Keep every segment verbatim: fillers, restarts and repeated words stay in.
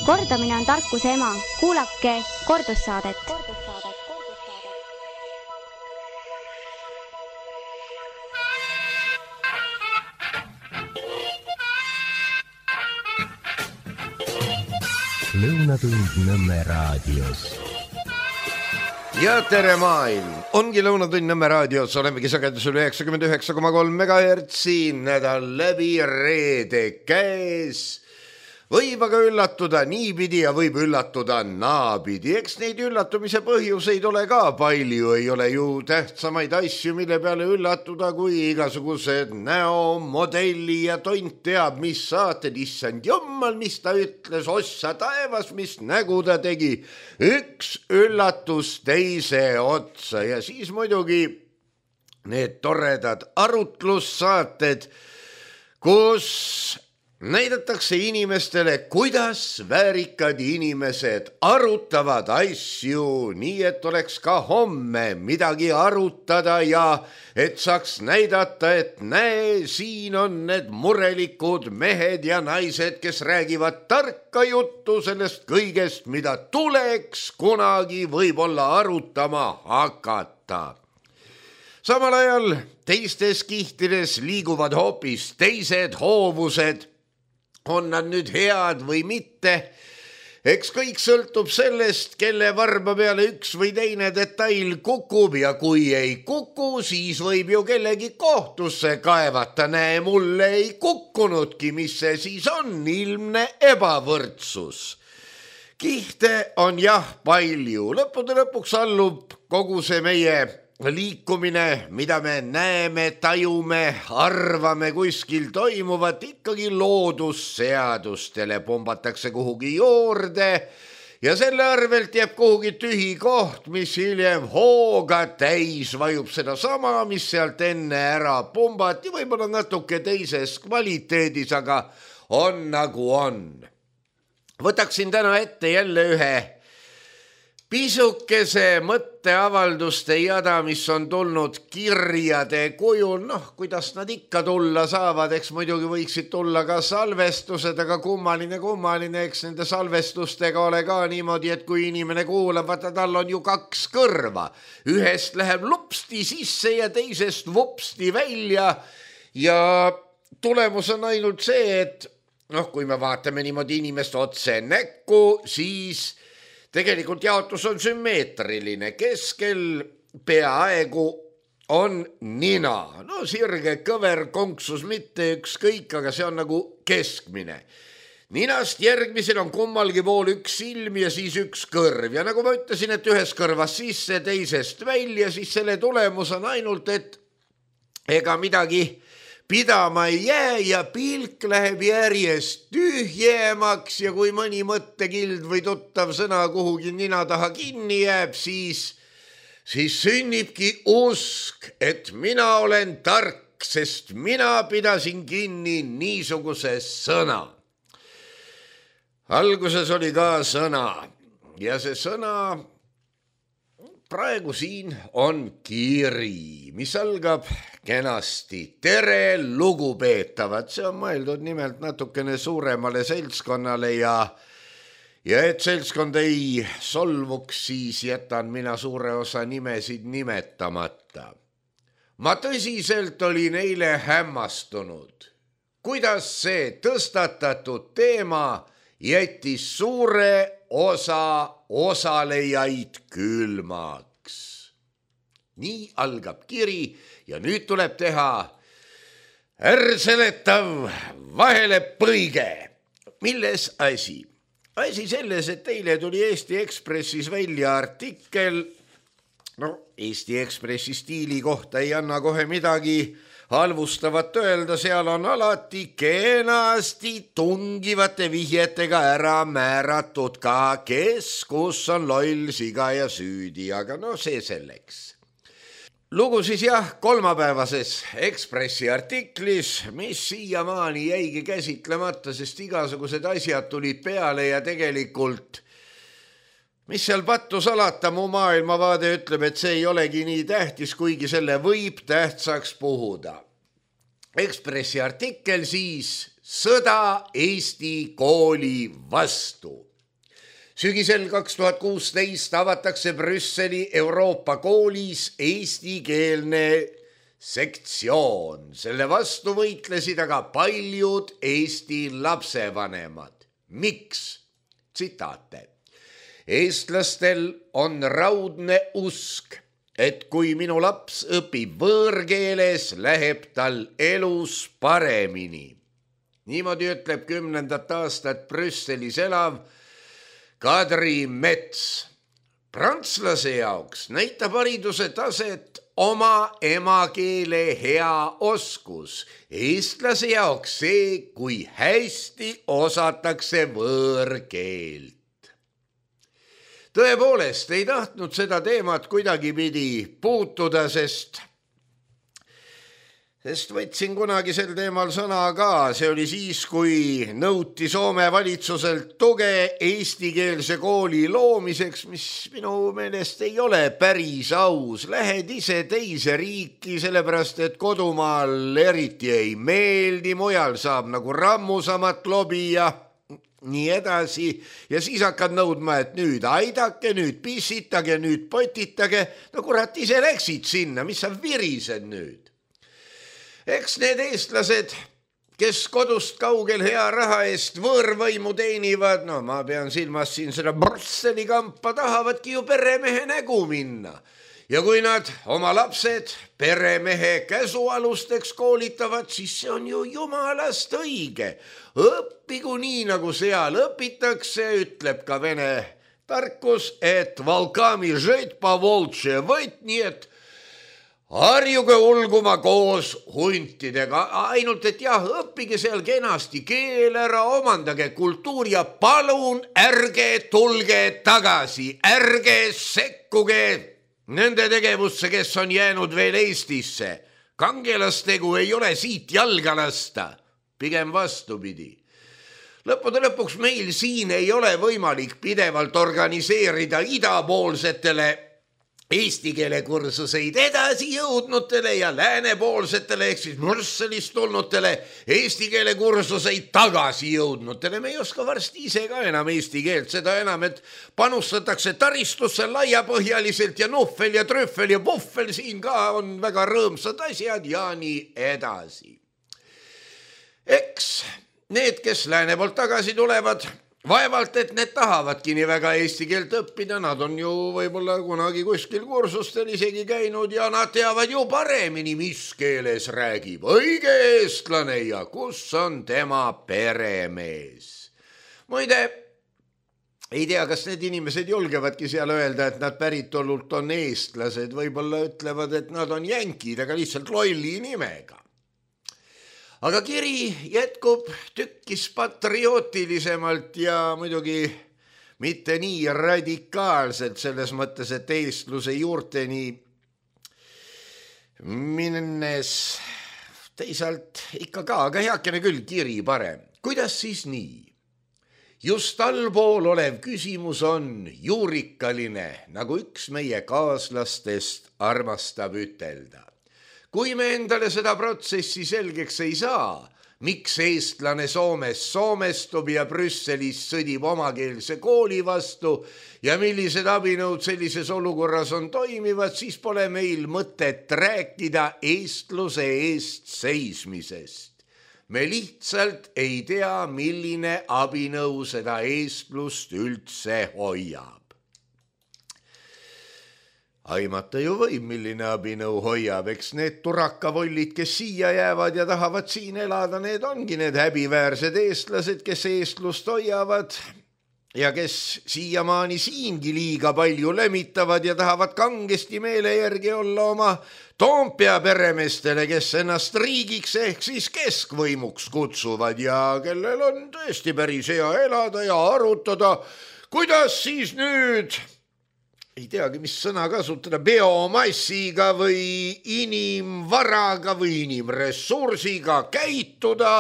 Kordamine on tarkuse ema. Kuulake kordussaadet. Lõunatund Nõmme raadios. Ja tere maailm! Ongi Lõunatund Nõmme raadios, olemegi sagedusel üheksakümmend üheksa koma kolm megahertsi, nädal läbi, reede käes. Võib aga üllatuda niipidi ja võib üllatuda naapidi. Eks neid üllatumise põhjuseid ole ka palju, ei ole ju tähtsamaid asju, mille peale üllatuda, kui igasugused näo, modelli ja tont teab, mis saated, issand jummal, mis ta ütles, ossa taevas, mis nägu ta tegi. Üks üllatus teise otsa ja siis muidugi need toredad arutlussaated, kus näidatakse inimestele, kuidas väärikad inimesed arutavad asju, nii et oleks ka homme midagi arutada ja et saaks näidata, et näe, siin on need murelikud mehed ja naised, kes räägivad tarka juttu sellest kõigest, mida tuleks kunagi võib-olla arutama hakata. Samal ajal teistes kihtides liiguvad hoopis teised hoovused. On nad nüüd head või mitte? Eks kõik sõltub sellest, kelle varba peale üks või teine detail kukub ja kui ei kuku, siis võib ju kellegi kohtusse kaevata. Näe, mulle ei kukkunudki, mis see siis on, ilmne ebavõrdsus. Kihte on jah palju, lõppude lõpuks allub kogu see meie liikumine, mida me näeme, tajume, arvame kuskil toimuvat, ikkagi loodusseadustele pombatakse kuhugi juurde ja selle arvelt jääb kuhugi tühi koht, mis hiljem hooga täis vajub seda sama, mis sealt enne ära pombati, võib-olla natuke teises kvaliteedis, aga on nagu on. Võtaksin täna ette jälle ühe pisukese mõtteavalduste jada, mis on tulnud kirjade kujul, noh, kuidas nad ikka tulla saavad, eks muidugi võiksid tulla ka salvestused, aga kummaline, kummaline, eks nende salvestustega ole ka niimoodi, et kui inimene kuulab, vaata tal on ju kaks kõrva, ühest läheb lupsti sisse ja teisest vupsti välja ja tulemus on ainult see, et noh, kui me vaatame niimoodi inimest otse näkku, siis tegelikult jaotus on sümmeetriline, keskel peaaegu on nina. No sirge, kõver, konksus, mitte ükskõik, aga see on nagu keskmine. Ninast järgmisel on kummalgi pool üks silm ja siis üks kõrv. Ja nagu ma ütlesin, et ühes kõrvas sisse, teisest välja, siis selle tulemus on ainult, et ega midagi pidama ei jää ja pilk läheb järjest tühjemaks ja kui mõni mõttekild või tuttav sõna kuhugi nina taha kinni jääb, siis, siis sünnibki usk, et mina olen tark, sest mina pidasin kinni niisuguse sõna. Alguses oli ka sõna ja see sõna praegu siin on kiri, mis algab kenasti. Tere, lugupeetavad, see on mõeldud nimelt natukene suuremale seltskonnale ja, ja et seltskond ei solvuks, siis jätan mina suure osa nimesid nimetamata. Ma tõsiselt olin eile hämmastunud, kuidas see tõstatatud teema jättis suure osa osalejaid külmaks. Nii algab kiri ja nüüd tuleb teha ärseletav vahelepõige. Milles asi? Asi selles, et teile tuli Eesti Ekspressis välja artikkel, no Eesti Ekspressi stiili kohta ei anna kohe midagi halvustavat öelda, seal on alati kenasti tungivate vihjetega ära määratud ka, kes, kus on loll, siga ja süüdi, aga no see selleks. Lugu siis jah, kolmapäevases Ekspressi artiklis, mis siiamaani jäigi käsitlemata, sest igasugused asjad tulid peale ja tegelikult mis seal pattu salata, mu maailmavaade ütleb, et see ei olegi nii tähtis, kuigi selle võib tähtsaks puhuda. Ekspressi artikkel siis sõda Eesti kooli vastu. sügisel kaks tuhat kuusteist avatakse Brüsseli Euroopa koolis eestikeelne sektsioon. Selle vastu võitlesid aga paljud Eesti lapsevanemad. Miks? Tsitaate. Eestlastel on raudne usk, et kui minu laps õpib võõrkeeles, läheb tal elus paremini. Niimoodi ütleb kümnendat aastat Brüsselis elav Kadri Mets. Prantslase jaoks näitab hariduse taset oma emakeele hea oskus. Eestlase jaoks see, kui hästi osatakse võõrkeelt. Tõepoolest ei tahtnud seda teemat kuidagipidi puutuda, sest, sest võtsin kunagi sel teemal sõna ka. See oli siis, kui nõuti Soome valitsuselt tuge eestikeelse kooli loomiseks, mis minu meelest ei ole päris aus. Lähed ise teise riiki, sellepärast et kodumaal eriti ei meeldi, mujal saab nagu rammusamat lobi ja nii edasi, ja siis hakkad nõudma, et nüüd aidake, nüüd pissitage, nüüd potitage. No kurat, ise läksid sinna, mis sa virised nüüd? Eks need eestlased, kes kodust kaugel hea raha eest võõrvõimu teenivad, no ma pean silmas siin seda Brüsseli kampa, tahavadki ju peremehe nägu minna. Ja kui nad oma lapsed peremehe käsualusteks koolitavad, siis see on ju jumalast õige. Õppigu nii, nagu seal õpitakse, ütleb ka vene tarkus, et valkami žet pa voltše võt, nii et harjuge ulguma koos huntidega. Ainult, et jah, õppige seal kenasti keel ära, omandage kultuur ja palun ärge tulge tagasi, ärge sekkuge nende tegevusse, kes on jäänud veel Eestisse. Kangelastegu ei ole siit jalga lasta, pigem vastupidi. Lõppude lõpuks meil siin ei ole võimalik pidevalt organiseerida idapoolsetele eesti keele kursuseid edasi jõudnutele ja läänepoolsetele ehk siis Brüsselist tulnutele eesti keele kursuseid tagasi jõudnutele. Me ei oska varsti ise ka enam eesti keelt, seda enam, et panustatakse taristusse laiapõhjaliselt ja nuhvel ja trühvel ja puhvel siin ka on väga rõõmsad asjad ja nii edasi. Eks need, kes lääne poolt tagasi tulevad, vaevalt, et need tahavadki nii väga eesti keelt õppida, nad on ju võib-olla kunagi kuskil kursustel isegi käinud ja nad teavad ju paremini, mis keeles räägib õige eestlane ja kus on tema peremees. Muide, ei tea, kas need inimesed julgevadki seal öelda, et nad päritolult on eestlased, võib-olla ütlevad, et nad on jänkid, aga lihtsalt lolli nimega. Aga kiri jätkub tükkis patriootilisemalt ja muidugi mitte nii radikaalselt selles mõttes, et eestluse juurteni minnes teisalt ikka ka, aga heakene küll kiri parem. Kuidas siis nii? Just allpool olev küsimus on juurikaline, nagu üks meie kaaslastest armastab ütelda. Kui me endale seda protsessi selgeks ei saa, miks eestlane Soomes soomestub ja Brüsselis sõdib omakeelse kooli vastu ja millised abinõud sellises olukorras on toimivad, siis pole meil mõtet rääkida eestluse eest seismisest. Me lihtsalt ei tea, milline abinõu seda eestlust üldse hoiab. Aimata ju võib, milline abinõu hoiab, eks need turakavollid, kes siia jäävad ja tahavad siin elada, need ongi need häbiväärsed eestlased, kes eestlust hoiavad ja kes siiamaani siingi liiga palju lemitavad ja tahavad kangesti meele järgi olla oma Toompea peremeestele, kes ennast riigiks ehk siis keskvõimuks kutsuvad ja kellel on tõesti päris hea elada ja arutada, kuidas siis nüüd ei teagi, mis sõna kasutada, biomassiga või inimvaraga või inimressursiga käituda,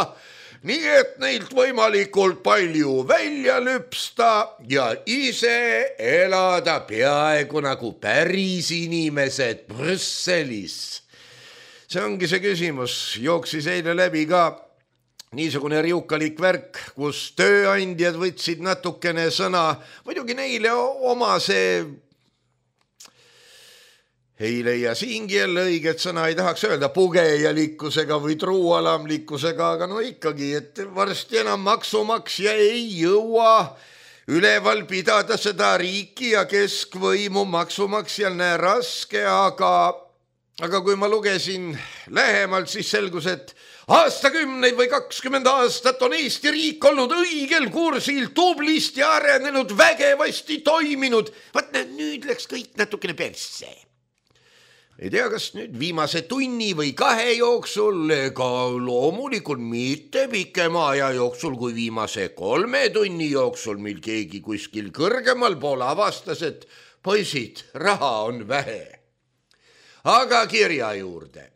nii et neilt võimalikult palju välja lüpsta ja ise elada peaaegu nagu päris inimesed Brüsselis. See ongi see küsimus, jooksis eile läbi ka niisugune riukalik värk, kus tööandjad võtsid natukene sõna, muidugi neile oma see, ei leia siingi jälle õiget sõna, ei tahaks öelda pugejalikkusega või truualamlikkusega, aga no ikkagi, et varsti enam maksumaksja ei jõua üleval pidada seda riiki ja keskvõimu maksumaksjale raske, aga, aga kui ma lugesin lähemalt, siis selgus, et aastakümneid või kakskümmend aastat on Eesti riik olnud õigel kursil, tublisti arenenud, vägevasti toiminud. Vaat nüüd läks kõik natukene persse. Ei tea, kas nüüd viimase tunni või kahe jooksul, ega loomulikult mitte pikema aja jooksul kui viimase kolme tunni jooksul, mil keegi kuskil kõrgemal pool avastas, et poisid, raha on vähe. Aga kirja juurde.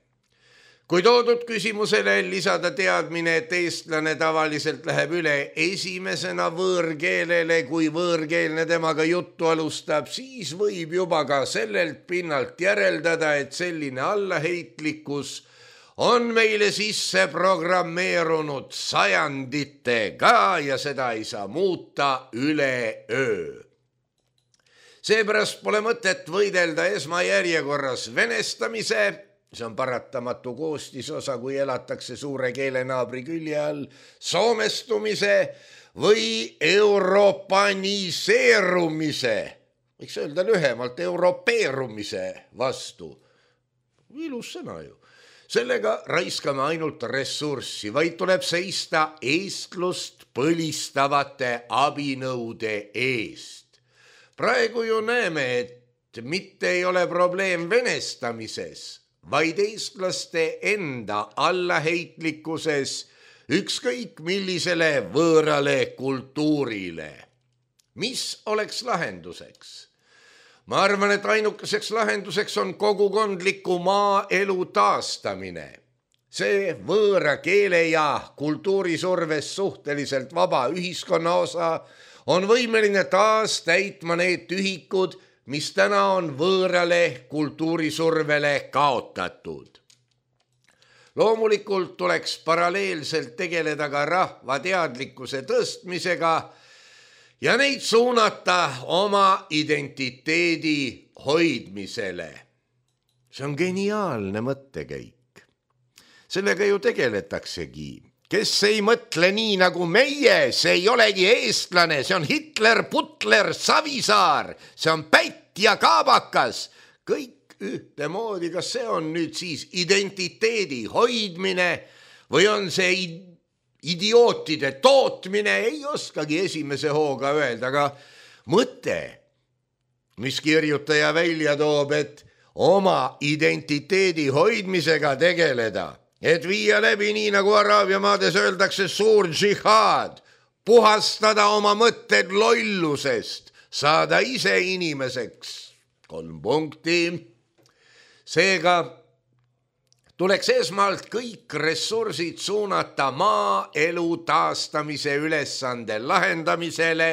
Kui toodud küsimusele lisada teadmine, et eestlane tavaliselt läheb üle esimesena võõrkeelele, kui võõrkeelne temaga juttu alustab, siis võib juba ka sellelt pinnalt järeldada, et selline allaheitlikkus on meile sisse programmeerunud sajanditega ja seda ei saa muuta üleöö. Seepärast pole mõtet võidelda esmajärjekorras venestamise, see on paratamatu koostisosa, kui elatakse suure keelenaabri külje all, soomestumise või europaniseerumise, võiks öelda lühemalt europeerumise vastu. Ilus sõna ju. Sellega raiskame ainult ressurssi, vaid tuleb seista eestlust põlistavate abinõude eest. Praegu ju näeme, et mitte ei ole probleem venestamises, vaid eestlaste enda allaheitlikkuses ükskõik millisele võõrale kultuurile. Mis oleks lahenduseks? Ma arvan, et ainukeseks lahenduseks on kogukondliku maaelu taastamine. See võõra keele ja kultuurisurves suhteliselt vaba ühiskonna osa on võimeline taas täitma need tühikud, mis täna on võõrale kultuurisurvele kaotatud. Loomulikult tuleks paralleelselt tegeleda ka rahva teadlikkuse tõstmisega ja neid suunata oma identiteedi hoidmisele. See on geniaalne mõttekäik. Sellega ju tegeletaksegi. Kes ei mõtle nii nagu meie, see ei olegi eestlane, see on Hitler, Putler, Savisaar, see on Pätt ja Kaabakas, kõik ühtemoodi. Kas see on nüüd siis identiteedi hoidmine või on see idiootide tootmine, ei oskagi esimese hooga öelda, aga mõte, mis kirjutaja välja toob, et oma identiteedi hoidmisega tegeleda, et viia läbi nii nagu Araabia maades öeldakse suur džihaad, puhastada oma mõtted lollusest, saada ise inimeseks. Kolm punkti. Seega tuleks esmalt kõik ressursid suunata maaelu taastamise ülesande lahendamisele,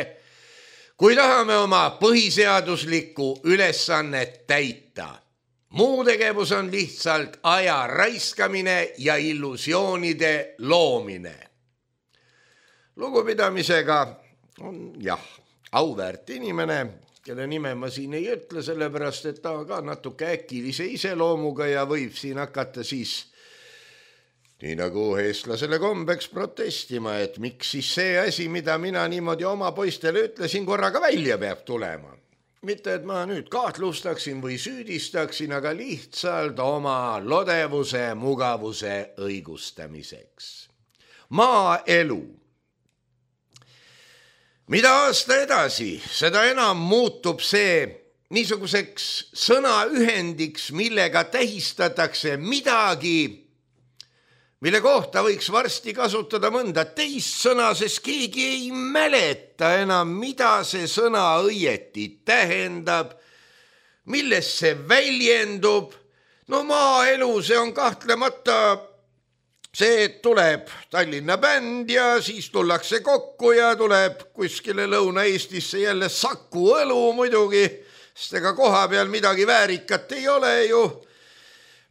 kui tahame oma põhiseaduslikku ülesannet täita. Muu tegevus on lihtsalt aja raiskamine ja illusioonide loomine. Lugupidamisega on jah, auväärt inimene, kelle nime ma siin ei ütle, sellepärast, et ta ka natuke äkilise iseloomuga ja võib siin hakata siis, nii nagu eestlasele kombeks protestima, et miks siis see asi, mida mina niimoodi oma poistele ütlesin, korraga välja peab tulema. Mitte, et ma nüüd kahtlustaksin või süüdistaksin, aga lihtsalt oma lodevuse, mugavuse õigustamiseks. Maaelu. Mida aasta edasi, seda enam muutub see niisuguseks sõnaühendiks, millega tähistatakse midagi, mille kohta võiks varsti kasutada mõnda teist sõna, sest keegi ei mäleta enam, mida see sõna õieti tähendab, milles see väljendub. No maaelu, see on kahtlemata see, et tuleb Tallinna bänd ja siis tullakse kokku ja tuleb kuskile Lõuna-Eestisse jälle Saku Õlu muidugi, sest ega koha peal midagi väärikat ei ole ju.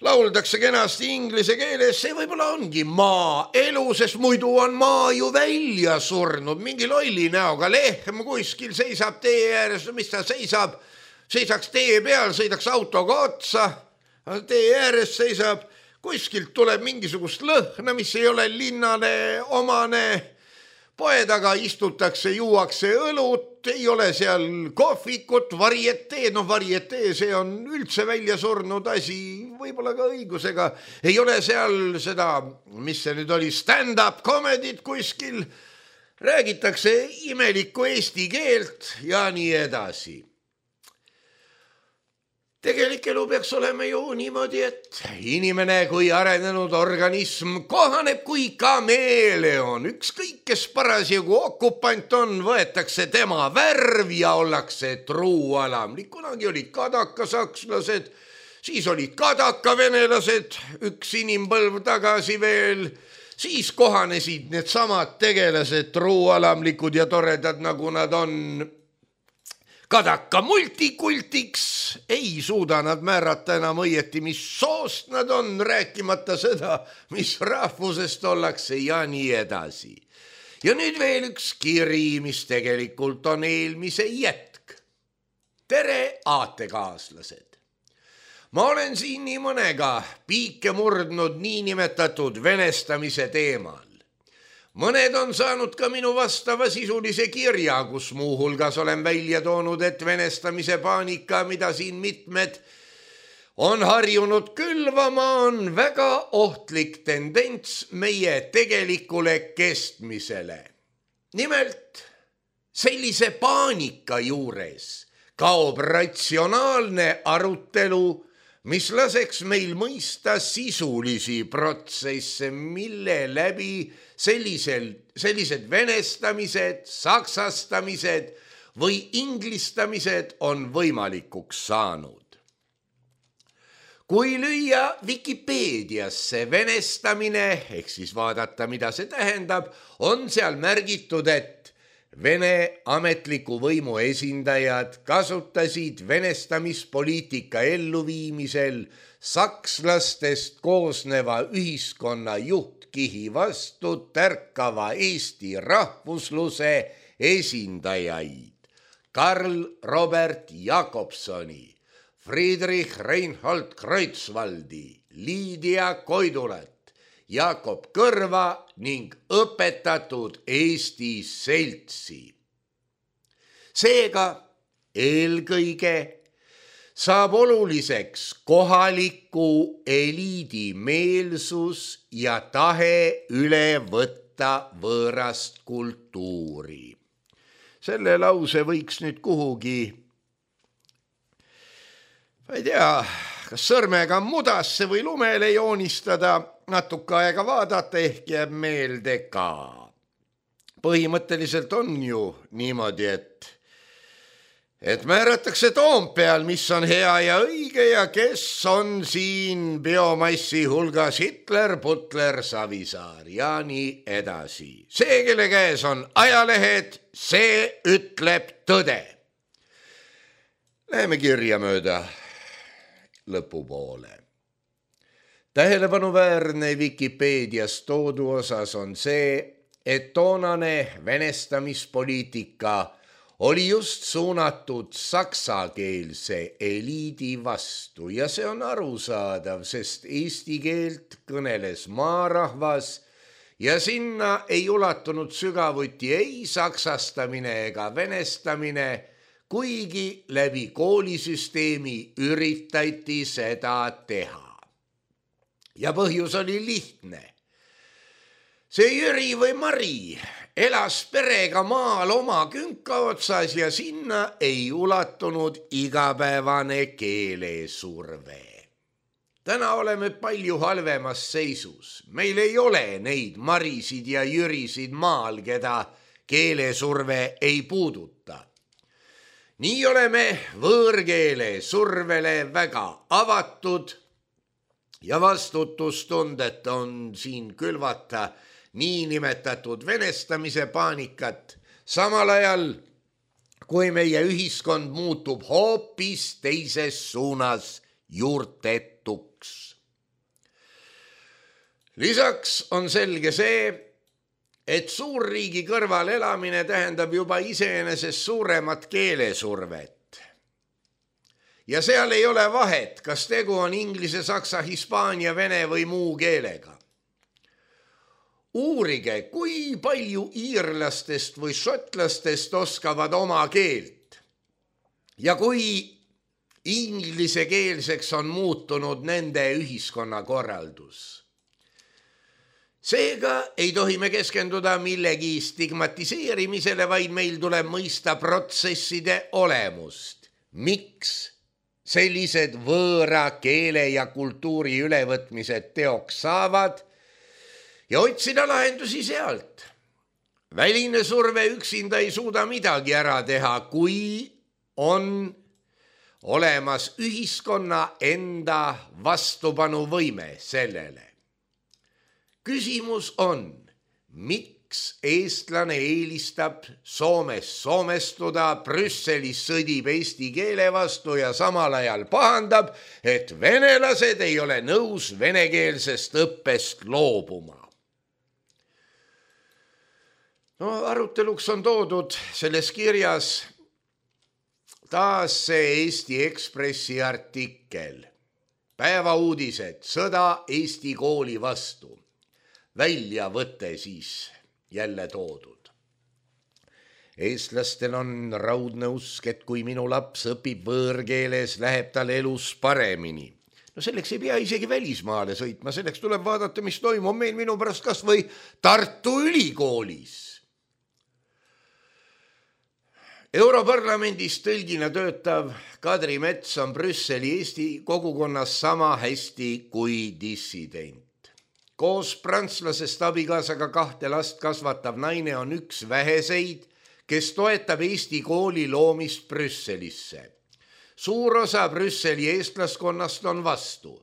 lauldakse kenasti inglise keeles, see võib-olla ongi maaelu, sest muidu on maa ju välja surnud. Mingi lolli näoga lehm kuskil seisab tee ääres, mis ta seisab, seisaks tee peal, sõidaks autoga otsa, tee ääres seisab, kuskilt tuleb mingisugust lõhna, mis ei ole linnale omane, poe taga istutakse, juuakse õlut, ei ole seal kohvikut, varietee, noh varietee, see on üldse välja surnud asi, võib-olla ka õigusega, ei ole seal seda, mis see nüüd oli, stand-up comedit kuskil, räägitakse imelikku eesti keelt ja nii edasi. Tegelik elu peaks olema ju niimoodi, et inimene kui arenenud organism kohaneb kui kameeleon. Ükskõik, kes parasjagu okupant on, võetakse tema värv ja ollakse truualamlik. Kunagi olid kadakasakslased, siis olid kadakavenelased, üks inimpõlv tagasi veel, siis kohanesid need samad tegelased truualamlikud ja toredad, nagu nad on kadaka multikultiks, ei suuda nad määrata enam õieti, mis soost nad on, rääkimata seda, mis rahvusest ollakse ja nii edasi. Ja nüüd veel üks kiri, mis tegelikult on eelmise jätk. Tere, aatekaaslased! Ma olen siin nii mõnega piike murdnud niinimetatud venestamise teemal. Mõned on saanud ka minu vastava sisulise kirja, kus muuhulgas olen välja toonud, et venestamise paanika, mida siin mitmed on harjunud külvama, on väga ohtlik tendents meie tegelikule kestmisele. Nimelt, sellise paanika juures kaob ratsionaalne arutelu, mis laseks meil mõista sisulisi protsesse, mille läbi sellisel, sellised venestamised, saksastamised või inglistamised on võimalikuks saanud. Kui lüüa Wikipeediasse venestamine, ehk siis vaadata, mida see tähendab, on seal märgitud, et Vene ametliku võimu esindajad kasutasid venestamispoliitika elluviimisel sakslastest koosneva ühiskonna juhtkihi vastu tärkava Eesti rahvusluse esindajaid Karl Robert Jakobsoni, Friedrich Reinhold Kreutzwaldi, Liidia Koidulat, Jakob Kõrva ning õpetatud Eesti seltsi. Seega eelkõige saab oluliseks kohaliku eliidi meelsus ja tahe üle võtta võõrast kultuuri. Selle lause võiks nüüd kuhugi, ma ei tea, kas sõrmega mudasse või lumele joonistada, natuke aega vaadata, ehk jääb meelde ka. Põhimõtteliselt on ju niimoodi, et, et määratakse Toompeal, mis on hea ja õige ja kes on siin biomassi hulgas Hitler, Butler, Savisaar ja nii edasi. See, kelle käes on ajalehed, see ütleb tõde. Läheme kirja mööda lõpupoole. Tähelepanuväärne Wikipeedias toodu osas on see, et toonane venestamispoliitika oli just suunatud saksakeelse eliidi vastu ja see on arusaadav, sest eesti keelt kõneles maarahvas ja sinna ei ulatunud sügavuti ei saksastamine ega venestamine, kuigi läbi koolisüsteemi üritati seda teha. Ja põhjus oli lihtne. See Jüri või Mari elas perega maal oma künka otsas ja sinna ei ulatunud igapäevane keelesurve. Täna oleme palju halvemas seisus. Meil ei ole neid Marisid ja Jürisid maal, keda keelesurve ei puuduta. Nii oleme võõrkeele survele väga avatud ja vastutustundet on siin külvata niinimetatud venestamise paanikat, samal ajal kui meie ühiskond muutub hoopis teises suunas juurtetuks. Lisaks on selge see, et suurriigi kõrval elamine tähendab juba iseenesest suuremat keelesurvet. Ja seal ei ole vahet, kas tegu on inglise, saksa, hispaania, vene või muu keelega. Uurige, kui palju iirlastest või šotlastest oskavad oma keelt ja kui inglisekeelseks on muutunud nende ühiskonnakorraldus. Seega ei tohi me keskenduda millegi stigmatiseerimisele, vaid meil tuleb mõista protsesside olemust. Miks sellised võõra keele ja kultuuri ülevõtmised teoks saavad ja otsida lahendusi sealt. Väline surve üksinda ei suuda midagi ära teha, kui on olemas ühiskonna enda vastupanuvõime sellele. Küsimus on, miks eestlane eelistab Soomes soomestuda, Brüsselis sõdib eesti keele vastu ja samal ajal pahandab, et venelased ei ole nõus venekeelsest õppest loobuma. No, aruteluks on toodud selles kirjas taas see Eesti Ekspressi artikkel. Päevauudised, sõda Eesti kooli vastu. Väljavõte siis jälle toodud. Eestlastel on raudne usk, et kui minu laps õpib võõrkeeles, läheb tal elus paremini. No selleks ei pea isegi välismaale sõitma, selleks tuleb vaadata, mis toimub meil minu pärast kas või Tartu Ülikoolis. Europarlamendis tõlgina töötav Kadri Mets on Brüsseli Eesti kogukonnas sama hästi kui dissident. Koos prantslasest abikaasaga kahte last kasvatav naine on üks väheseid, kes toetab Eesti kooli loomist Brüsselisse. Suur osa Brüsseli eestlaskonnast on vastu.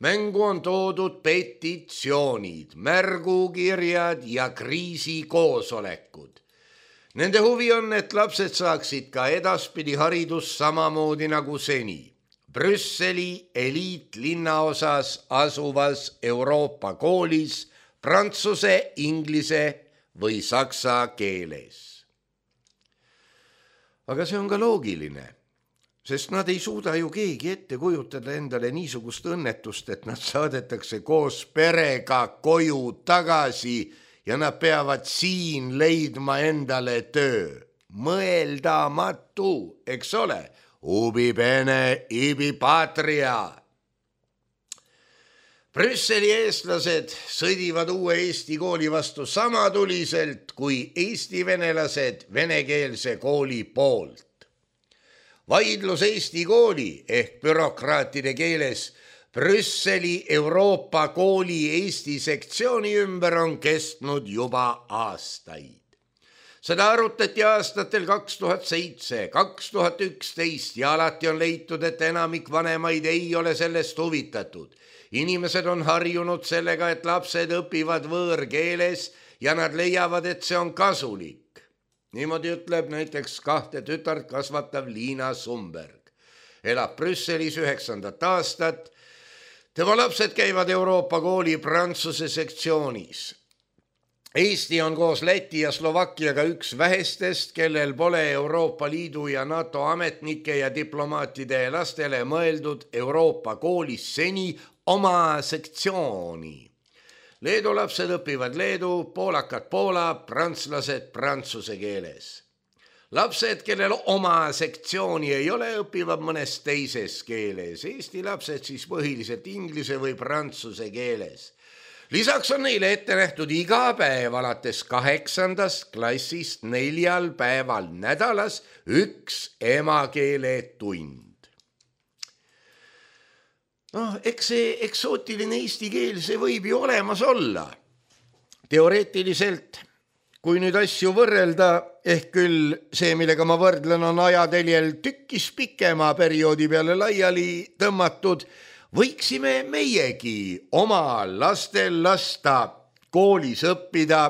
Mängu on toodud petitsioonid, märgukirjad ja kriisikoosolekud. Nende huvi on, et lapsed saaksid ka edaspidi haridust samamoodi nagu seni. Brüsseli eliitlinnaosas asuvas Euroopa koolis prantsuse, inglise või saksa keeles. Aga see on ka loogiline, sest nad ei suuda ju keegi ette kujutada endale niisugust õnnetust, et nad saadetakse koos perega koju tagasi ja nad peavad siin leidma endale töö. Mõeldamatu, eks ole? Ubi bene, ibi patria. Brüsseli eestlased sõdivad uue Eesti kooli vastu sama tuliselt kui Eesti venelased venekeelse kooli poolt. Vaidlus Eesti kooli ehk bürokraatide keeles Brüsseli Euroopa kooli Eesti sektsiooni ümber on kestnud juba aastaid. Seda arutati aastatel kaks tuhat seitse, kaks tuhat üksteist ja alati on leitud, et enamik vanemaid ei ole sellest huvitatud. Inimesed on harjunud sellega, et lapsed õpivad võõrkeeles ja nad leiavad, et see on kasulik. Niimoodi ütleb näiteks kahte tütart kasvatav Liina Sumberg. Elab Brüsselis üheksandat aastat. Tema lapsed käivad Euroopa kooli prantsuse sektsioonis. Eesti on koos Läti ja Slovakkiaga üks vähestest, kellel pole Euroopa Liidu ja NATO ametnike ja diplomaatide lastele mõeldud Euroopa koolis seni oma sektsiooni. Leedu lapsed õpivad leedu, poolakad poola, prantslased prantsuse keeles. Lapsed, kellel oma sektsiooni ei ole, õpivad mõnes teises keeles. Eesti lapsed siis põhiliselt inglise või prantsuse keeles. Lisaks on neile ette nähtud iga päev alates kaheksandast klassist neljal päeval nädalas üks emakeele tund. noh, eks see eksootiline eesti keel, see võib ju olemas olla. Teoreetiliselt, kui nüüd asju võrrelda, ehk küll see, millega ma võrdlen, on ajateljel tükkis pikema perioodi peale laiali tõmmatud, võiksime meiegi oma lastel lasta koolis õppida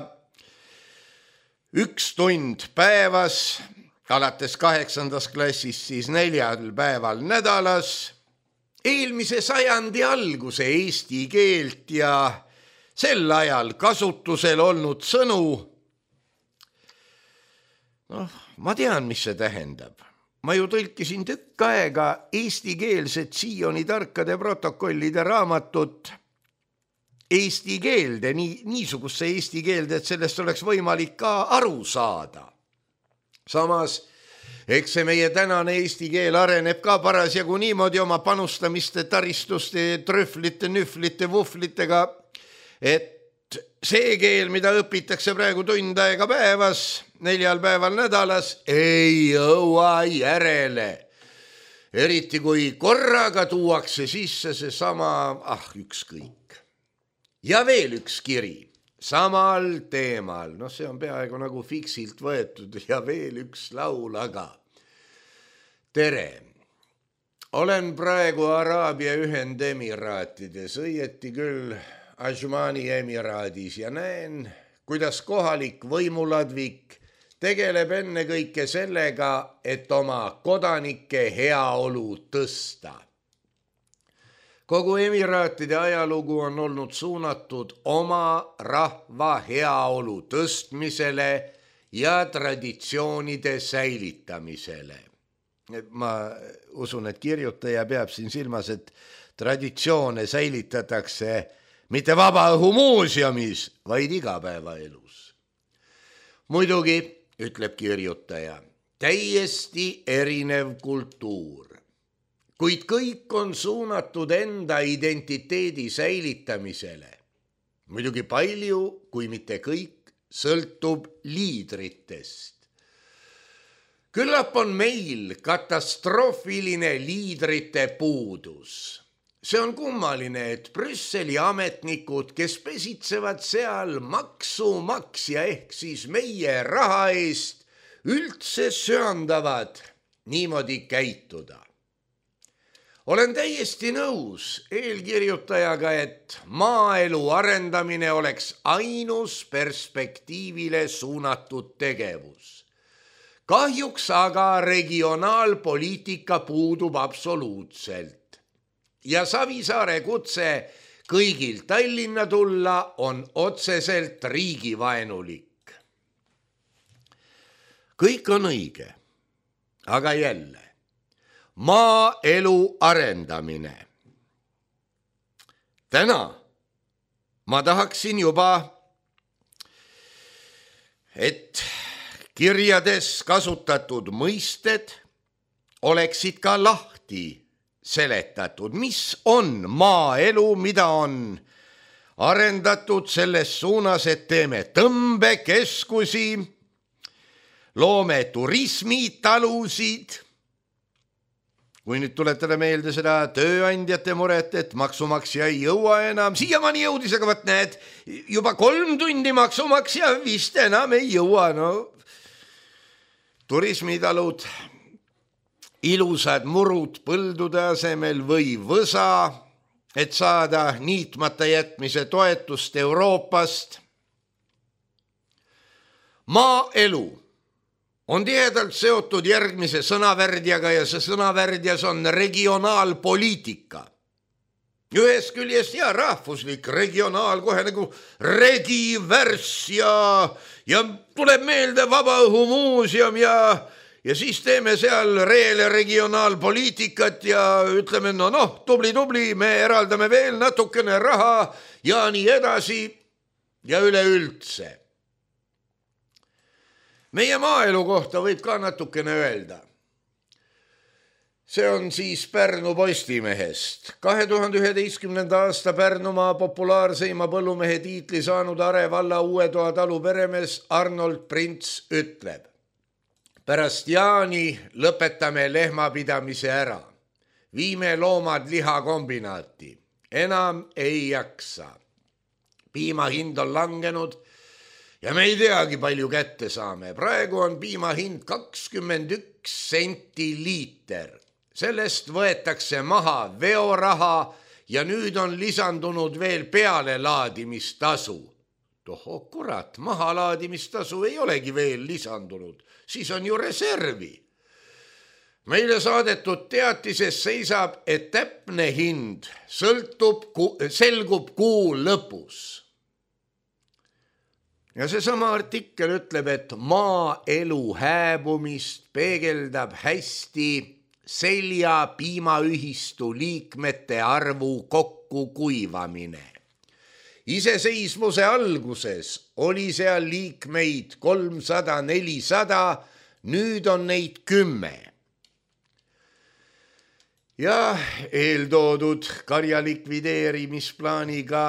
üks tund päevas, alates kaheksandast klassist siis neljal päeval nädalas, eelmise sajandi alguse eesti keelt ja sel ajal kasutusel olnud sõnu. Noh, ma tean, mis see tähendab. Ma ju tõlkisin tükk aega eestikeelset Sioni tarkade protokollide raamatut eesti keelde, nii, niisugusse eesti keelde, et sellest oleks võimalik ka aru saada. Samas, eks see meie tänane eesti keel areneb ka parasjagu niimoodi oma panustamiste, taristuste, trühvlite, nühvlite, vuhvlitega, et see keel, mida õpitakse praegu tund aega päevas, neljal päeval nädalas, ei jõua järele. Eriti kui korraga tuuakse sisse see sama, ah, ükskõik. Ja veel üks kiri, samal teemal, noh, see on peaaegu nagu fiksilt võetud ja veel üks laul, aga tere. Olen praegu Araabia Ühendemiraatides, õieti küll Ajmani emiraadis ja näen, kuidas kohalik võimuladvik tegeleb enne kõike sellega, et oma kodanike heaolu tõsta. Kogu emiraatide ajalugu on olnud suunatud oma rahva heaolu tõstmisele ja traditsioonide säilitamisele. Ma usun, et kirjutaja peab siin silmas, et traditsioone säilitatakse mitte vabaõhumuuseumis, vaid igapäevaelus. Muidugi, ütleb kirjutaja, täiesti erinev kultuur, kuid kõik on suunatud enda identiteedi säilitamisele. Muidugi palju, kui mitte kõik, sõltub liidritest. Küllap on meil katastroofiline liidrite puudus. See on kummaline, et Brüsseli ametnikud, kes pesitsevad seal maksumaksja ehk siis meie raha eest, üldse söandavad niimoodi käituda. Olen täiesti nõus eelkirjutajaga, et maaelu arendamine oleks ainus perspektiivile suunatud tegevus. Kahjuks aga regionaalpoliitika puudub absoluutselt. Ja Savisaare kutse kõigil Tallinna tulla on otseselt riigivaenulik. Kõik on õige, aga jälle, maaelu arendamine. Täna ma tahaksin juba, et kirjades kasutatud mõisted oleksid ka lahti seletatud, mis on maaelu, mida on arendatud selles suunas, et teeme tõmbekeskusi, loome turismitalusid. Kui nüüd tuletada meelde seda tööandjate muret, et maksumaksja ei jõua enam, siiamaani jõudis, aga võt näed, juba kolm tundi maksumaksja vist enam ei jõua, no turismitalud, ilusad murud põldude asemel või võsa, et saada niitmata jätmise toetust Euroopast. Maaelu on tihedalt seotud järgmise sõnavärdjaga ja see sõnavärdjas on regionaalpoliitika. Ühest küljest ja rahvuslik regionaal, kohe nagu regivärs ja, ja tuleb meelde Vabaõhumuuseum ja Ja siis teeme seal reele regionaalpoliitikat ja ütleme, no noh, tubli, tubli, me eraldame veel natukene raha ja nii edasi ja üleüldse. Meie maaelu kohta võib ka natukene öelda. See on siis Pärnu Postimehest. kahe tuhande üheteistkümnenda aasta Pärnumaa populaarseima põllumehe tiitli saanud Are valla Uuetoa talu peremees Arnold Prints ütleb: pärast jaani lõpetame lehmapidamise ära. Viime loomad lihakombinaati. Enam ei jaksa. Piima hind on langenud ja me ei teagi, palju kätte saame. Praegu on piima hind kakskümmend üks senti liiter. Sellest võetakse maha veoraha ja nüüd on lisandunud veel pealelaadimistasu. Tohoo kurat, mahalaadimistasu ei olegi veel lisandunud. Siis on ju reservi. Meile saadetud teatises seisab, et täpne hind sõltub, selgub kuu lõpus. ja seesama artikkel ütleb, et maaelu hääbumist peegeldab hästi Selja piimaühistu liikmete arvu kokkukuivamine. Iseseisvuse alguses oli seal liikmeid kolmsada nelisada, nüüd on neid kümme. Ja eeltoodud karja likvideerimisplaaniga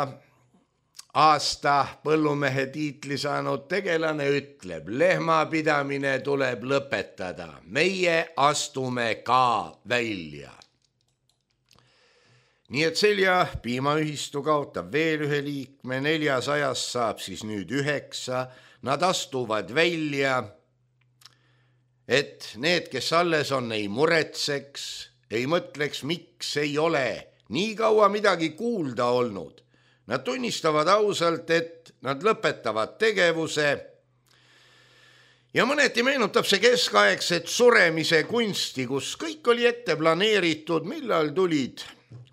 aasta põllumehe tiitli saanud tegelane ütleb, lehmapidamine tuleb lõpetada, meie astume ka välja. Nii et Selja piimaühistu kaotab veel ühe liikme, neljasajast saab siis nüüd üheksa, nad astuvad välja, et need, kes alles on, ei muretseks, ei mõtleks, miks ei ole nii kaua midagi kuulda olnud. Nad tunnistavad ausalt, et nad lõpetavad tegevuse ja mõneti meenutab see keskaegset suremise kunsti, kus kõik oli ette planeeritud, millal tulid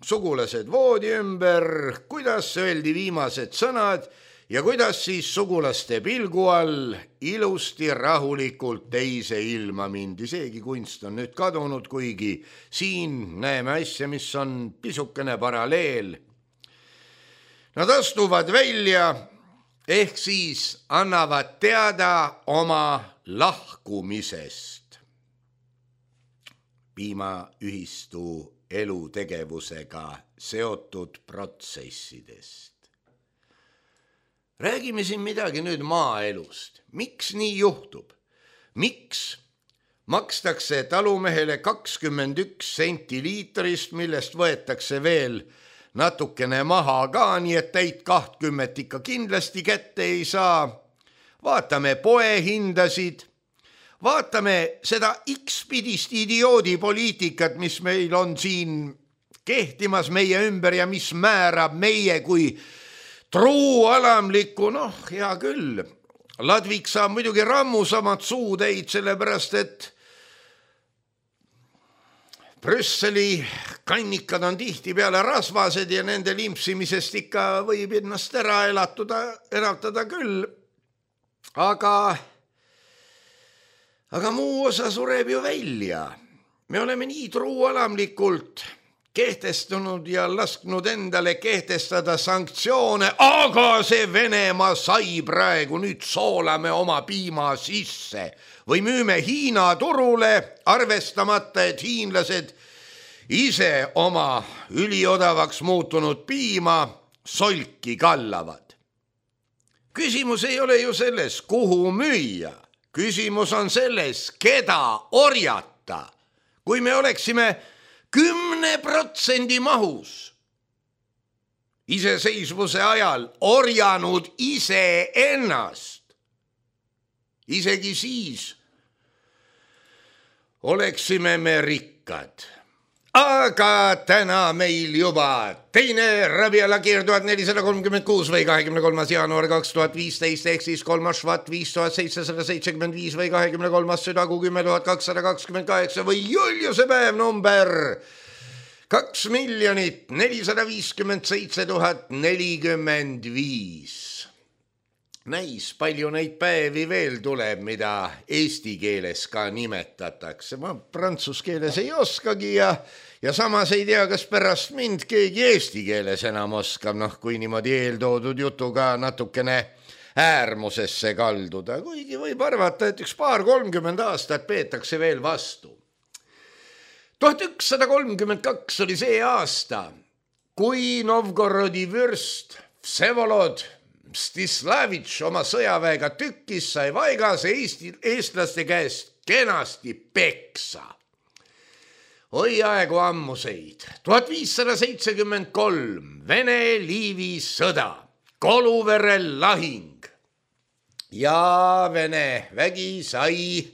sugulased voodi ümber, kuidas öeldi viimased sõnad ja kuidas siis sugulaste pilgu all ilusti rahulikult teise ilma mindi. Seegi kunst on nüüd kadunud, kuigi siin näeme asja, mis on pisukene paralleel. Nad astuvad välja ehk siis annavad teada oma lahkumisest piimaühistu elutegevusega seotud protsessidest. Räägime siin midagi nüüd maaelust. Miks nii juhtub? Miks makstakse talumehele kakskümmend üks senti liitrist, millest võetakse veel natukene maha ka, nii et täit kahtkümmet ikka kindlasti kätte ei saa. Vaatame poe hindasid, vaatame seda X-pidist idioodipoliitikat, mis meil on siin kehtimas meie ümber ja mis määrab meie kui truualamlikku, noh, hea küll. Ladvik saab muidugi rammusamad suudeid, sellepärast et Brüsseli kannikad on tihti peale rasvased ja nende limpsimisest ikka võib ennast ära elatuda, elatada küll. Aga, aga muu osa sureb ju välja. Me oleme nii truualamlikult kehtestunud ja lasknud endale kehtestada sanktsioone, aga see Venemaa sai praegu, nüüd soolame oma piima sisse või müüme Hiina turule, arvestamata, et hiinlased ise oma üliodavaks muutunud piima solki kallavad. Küsimus ei ole ju selles, kuhu müüa. Küsimus on selles, keda orjata. Kui me oleksime kümne protsendi mahus iseseisvuse ajal orjanud ise ennast, isegi siis oleksime me rikkad. Aga täna meil juba teine Rabiala Kiir tuhat nelisada kolmkümmend kuus või kahekümne kolmas jaanuar kaks tuhat viisteist ehk siis kolmas Švat viis tuhat seitsesada seitsekümmend viis või kahekümne kolmas Südagu kümme tuhat kakssada kakskümmend kaheksa või Juliuse päev number kaks miljonit nelisada viiskümmend seitse tuhat nelikümmend viis. Näis, palju neid päevi veel tuleb, mida eesti keeles ka nimetatakse. Ma prantsus keeles ei oskagi ja, ja samas ei tea, kas pärast mind keegi eesti keeles enam oskab, noh, kui niimoodi eeltoodud jutuga natukene äärmusesse kalduda. Kuigi võib arvata, et üks paar kolmkümmend aastat peetakse veel vastu. tuhat ükssada kolmkümmend kaks oli see aasta, kui Novgorodi vürst Vsevolod Mstislavitš oma sõjaväega tükkis sai vaigas Eesti, eestlaste käest kenasti peksa. Oi aegu ammuseid. tuhat viissada seitsekümmend kolm Vene-Liivi sõda, Koluvere lahing ja Vene vägi sai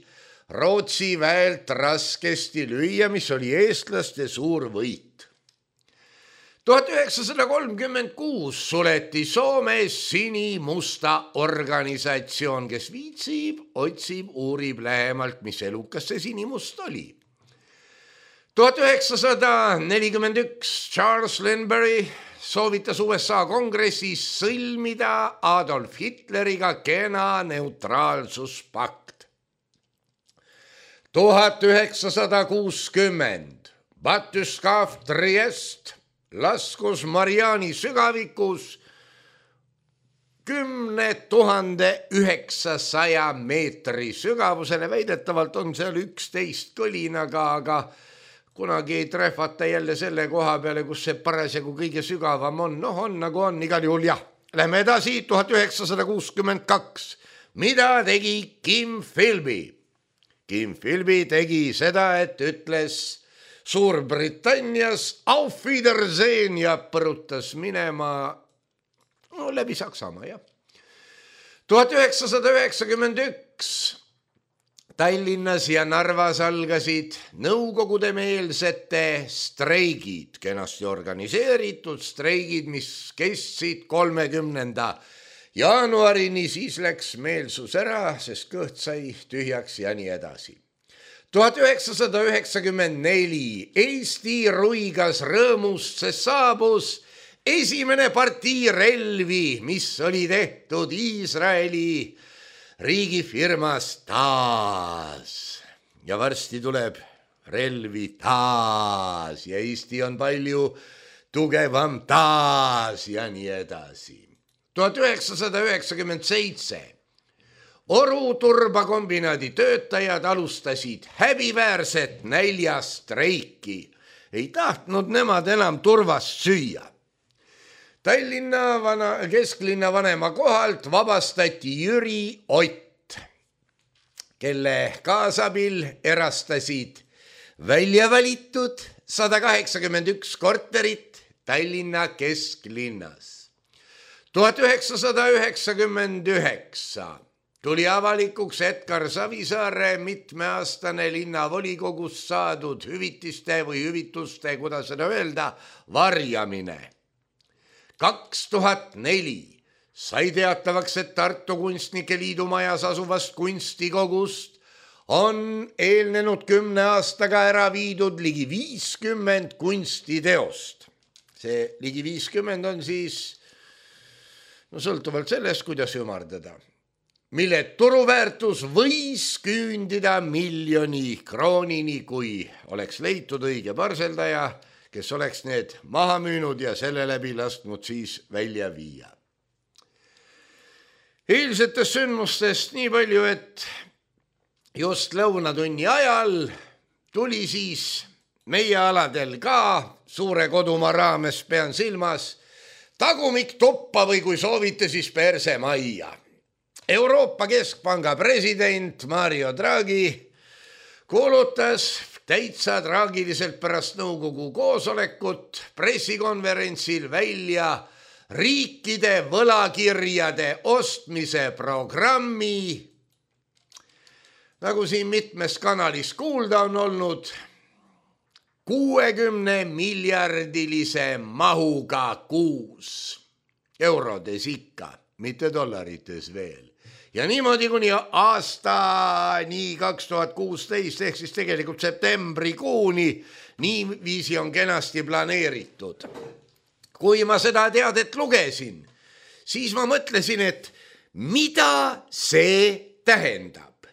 Rootsi väelt raskesti lüüa, mis oli eestlaste suur võit. tuhat üheksasada kolmkümmend kuus suleti Soomes sinimusta organisatsioon, kes viitsib, otsib, uurib lähemalt, mis elukas see sinimust oli. tuhat üheksasada nelikümmend üks Charles Lindbergh soovitas U S A kongressis sõlmida Adolf Hitleriga kena neutraalsuspakt. tuhat üheksasada kuuskümmend Batüskav Triest laskus Mariani sügavikus kümne tuhande üheksasaja meetri sügavusele. Väidetavalt on seal üksteist kõlinaga, aga kunagi ei trehvata jälle selle koha peale, kus see parasjagu kõige sügavam on. Noh, on nagu on, igal juhul jah. Lähme edasi, tuhat üheksasada kuuskümmend kaks. Mida tegi Kim Philby? Kim Philby tegi seda, et ütles Suurbritannias Auf Wiedersehen ja põrutas minema no, läbi Saksamaa, jah. tuhat üheksasada üheksakümmend üks Tallinnas ja Narvas algasid nõukogude meelsete streigid, kenasti organiseeritud streigid, mis kestsid kolmekümnenda jaanuarini, siis läks meelsus ära, sest kõht sai tühjaks ja nii edasi. tuhat üheksasada üheksakümmend neli Eesti ruigas rõõmust, sest saabus esimene partii relvi, mis oli tehtud Iisraeli riigifirmas taas. Ja varsti tuleb relvi taas ja Eesti on palju tugevam taas ja nii edasi. tuhat üheksasada üheksakümmend seitse Oru turbakombinaadi töötajad alustasid häbiväärset näljastreiki. Ei tahtnud nemad enam turvast süüa. Tallinna vana, kesklinna vanema kohalt vabastati Jüri Ott, kelle kaasabil erastasid välja valitud sada kaheksakümmend üks korterit Tallinna kesklinnas. tuhat üheksasada üheksakümmend üheksa tuli avalikuks Edgar Savisaare mitmeaastane linnavolikogus saadud hüvitiste või hüvituste, kuidas seda öelda, varjamine. kaks tuhat neli sai teatavaks, et Tartu Kunstnike Liidu majas asuvast kunstikogust on eelnenud kümne aastaga ära viidud ligi viiskümmend kunstiteost. See ligi viiskümmend on siis, no sõltuvalt sellest, kuidas ümardada, mille turuväärtus võis küündida miljoni kroonini, kui oleks leitud õige parseldaja, kes oleks need maha müünud ja selle läbi lasknud siis välja viia. Eilsetest sündmustest nii palju, et just lõunatunni ajal tuli siis meie aladel ka suure kodumaa raames, pean silmas, tagumik tuppa või kui soovite, siis persemajja. Euroopa Keskpanga president Mario Draghi kuulutas täitsa traagiliselt pärast nõukogu koosolekut pressikonverentsil välja riikide võlakirjade ostmise programmi. Nagu siin mitmes kanalis kuulda on olnud, kuuekümne miljardilise mahuga kuus, eurodes ikka, mitte dollarites veel. Ja niimoodi kuni aastani kaks tuhat kuusteist ehk siis tegelikult septembrikuuni nii viisi on kenasti planeeritud. Kui ma seda teadet lugesin, siis ma mõtlesin, et mida see tähendab.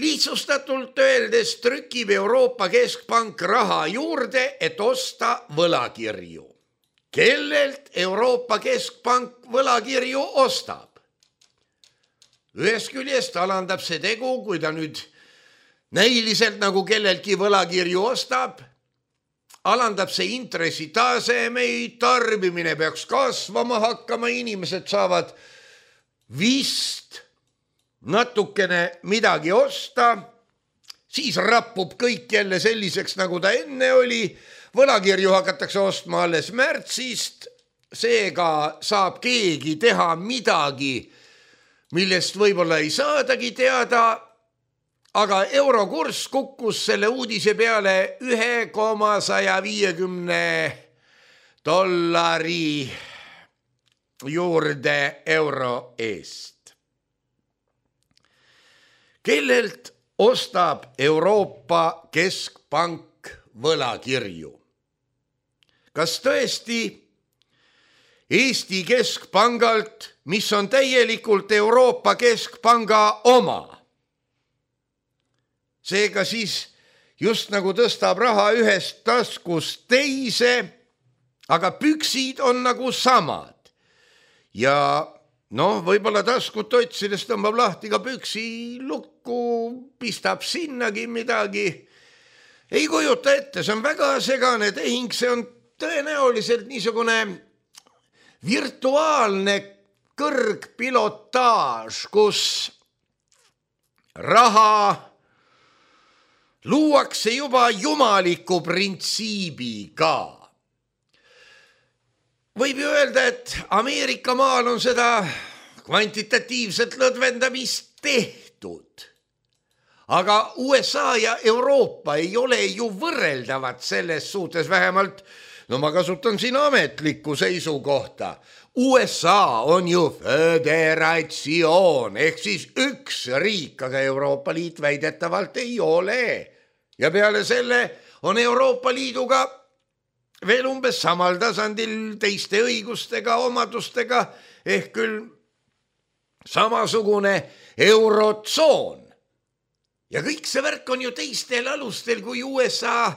Lihtsustatult öeldes trükib Euroopa Keskpank raha juurde, et osta võlakirju. Kellelt Euroopa Keskpank võlakirju ostab? Ühest küljest alandab see tegu, kui ta nüüd näiliselt nagu kelleltki võlakirju ostab, alandab see intressitasemeid, tarbimine peaks kasvama hakkama, inimesed saavad vist natukene midagi osta, siis rappub kõik jälle selliseks, nagu ta enne oli. Võlakirju hakatakse ostma alles märtsist, seega saab keegi teha midagi, millest võib-olla ei saadagi teada, aga eurokurss kukkus selle uudise peale ühe koma sada viiskümmend dollari juurde euro eest. Kellelt ostab Euroopa Keskpank võlakirju? kas tõesti Eesti keskpangalt, mis on täielikult Euroopa Keskpanga oma. Seega siis just nagu tõstab raha ühest taskust teise, aga püksid on nagu samad. Ja noh, võib-olla taskut otsides tõmbab lahti ka püksi lukku, pistab sinnagi midagi. Ei kujuta ette, see on väga segane tehing, see on tõenäoliselt niisugune virtuaalne kõrgpilotaaž, kus raha luuakse juba jumaliku printsiibiga. Võib ju öelda, et Ameerika maal on seda kvantitatiivset lõdvendamist tehtud. Aga U S A ja Euroopa ei ole ju võrreldavad selles suhtes vähemalt, no ma kasutan siin ametlikku seisukohta. U S A on ju föderatsioon, ehk siis üks riik, aga Euroopa Liit väidetavalt ei ole. Ja peale selle on Euroopa Liiduga veel umbes samal tasandil teiste õigustega, omadustega, ehk küll samasugune eurotsoon. Ja kõik see värk on ju teistel alustel kui U S A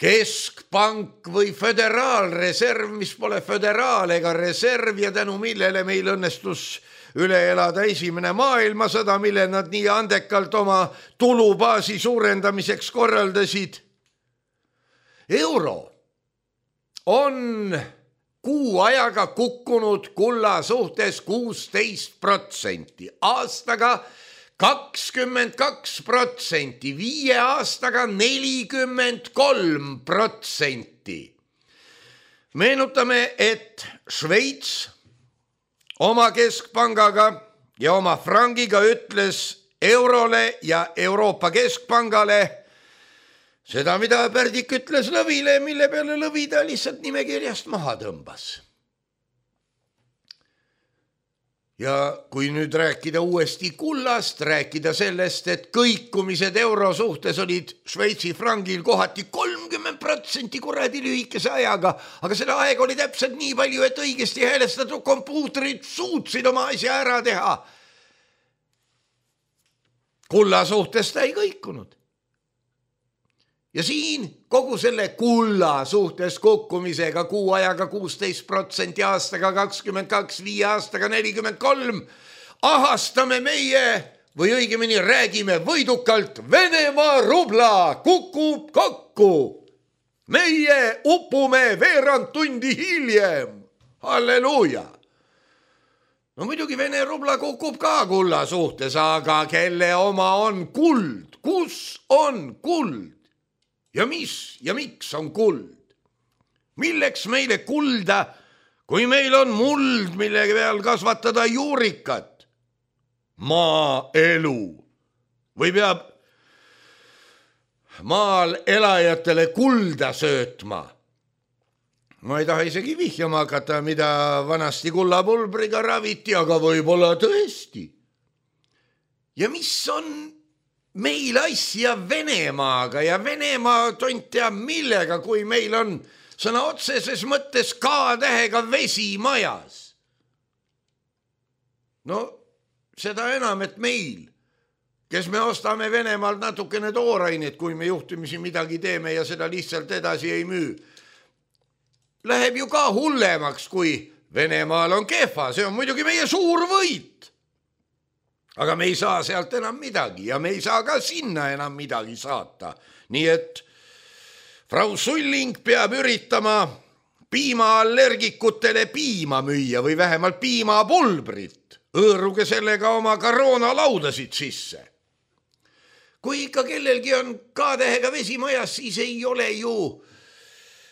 keskpank või föderaalreserv, mis pole föderaal ega reserv ja tänu millele meil õnnestus üle elada esimene maailmasõda, mille nad nii andekalt oma tulubaasi suurendamiseks korraldasid. Euro on kuu ajaga kukkunud kulla suhtes kuusteist protsenti, aastaga kakskümmend kaks protsenti, viie aastaga nelikümmend kolm protsenti. Meenutame, et Šveits oma keskpangaga ja oma frangiga ütles eurole ja Euroopa Keskpangale seda, mida Pärdik ütles Lõvile, mille peale Lõvi ta lihtsalt nimekirjast maha tõmbas. Ja kui nüüd rääkida uuesti kullast, rääkida sellest, et kõikumised euro suhtes olid Šveitsi frangil kohati kolmkümmend protsenti kuradi lühikese ajaga, aga seda aega oli täpselt nii palju, et õigesti häälestatud kompuutrid suutsid oma asja ära teha. Kulla suhtes ta ei kõikunud. Ja siin kogu selle kulla suhtes kukkumisega kuu ajaga kuusteist protsenti, aastaga kakskümmend kaks, viie aastaga nelikümmend kolm, ahastame meie või õigemini räägime võidukalt, Venemaa rubla kukub kokku. Meie upume veerand tundi hiljem. Halleluuja. No muidugi Vene rubla kukub ka kulla suhtes, aga kelle oma on kuld? Kus on kuld? Ja mis ja miks on kuld? Milleks meile kulda, kui meil on muld, mille peal kasvatada juurikat? Maaelu. Või peab maal elajatele kulda söötma? Ma ei taha isegi vihjama hakata, mida vanasti kullapulbriga raviti, aga võib-olla tõesti. Ja mis on meil asja Venemaaga ja Venemaa tont teab millega, kui meil on sõna otseses mõttes K-tähega vesi majas. No seda enam, et meil, kes me ostame Venemaalt natukene toorainet, kui me juhtumisi midagi teeme ja seda lihtsalt edasi ei müü, läheb ju ka hullemaks, kui Venemaal on kehva. See on muidugi meie suur võit. Aga me ei saa sealt enam midagi ja me ei saa ka sinna enam midagi saata. Nii et Frau Sulling peab üritama piimaallergikutele piima müüa või vähemalt piimapulbrit. Õõruge sellega oma koroonalaudasid sisse. Kui ikka kellelgi on K-tähega vesi majas, siis ei ole ju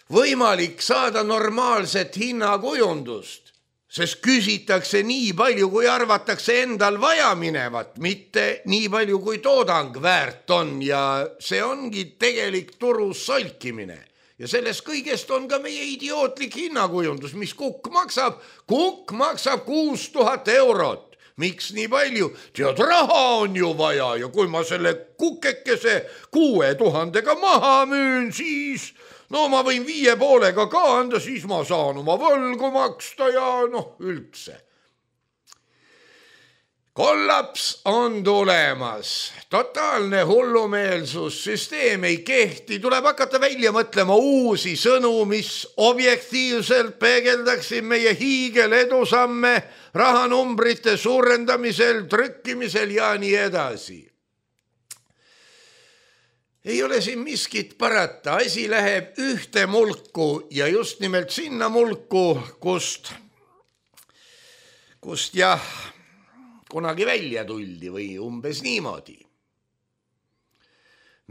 võimalik saada normaalset hinnakujundust. Sest küsitakse nii palju, kui arvatakse endal vaja minevat, mitte nii palju, kui toodang väärt on ja see ongi tegelik turu solkimine. Ja sellest kõigest on ka meie idiootlik hinnakujundus, mis kukk maksab. Kukk maksab kuus tuhat eurot. miks nii palju? Tead, raha on ju vaja ja kui ma selle kukekese kuue tuhandega maha müün, siis no ma võin viie poolega ka anda, siis ma saan oma võlgu maksta ja noh, üldse. Kollaps on tulemas, totaalne hullumeelsus, süsteem ei kehti, tuleb hakata välja mõtlema uusi sõnu, mis objektiivselt peegeldaksid meie hiigel edusamme rahanumbrite suurendamisel, trükkimisel ja nii edasi. Ei ole siin miskit parata, asi läheb ühte mulku ja just nimelt sinna mulku, kust, kust jah, kunagi välja tuldi või umbes niimoodi.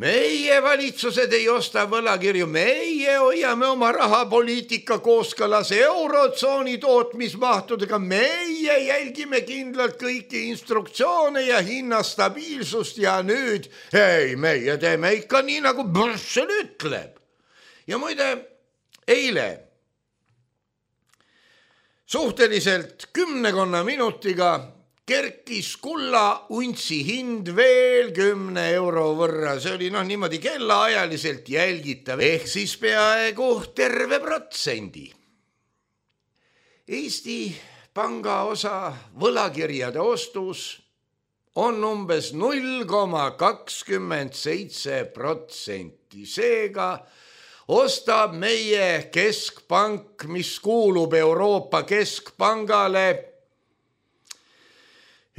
Meie valitsused ei osta võlakirju, meie hoiame oma rahapoliitika kooskõlas eurotsooni tootmismahtudega, meie jälgime kindlalt kõiki instruktsioone ja hinnastabiilsust ja nüüd, ei, meie teeme ikka nii, nagu Brüssel ütleb. Ja muide, eile suhteliselt kümnekonna minutiga kerkis kulla untsi hind veel kümne euro võrra, see oli noh niimoodi kellaajaliselt jälgitav, ehk siis peaaegu terve protsendi. Eesti Panga osa võlakirjade ostus on umbes null koma kakskümmend seitse protsenti, seega ostab meie keskpank, mis kuulub Euroopa Keskpangale,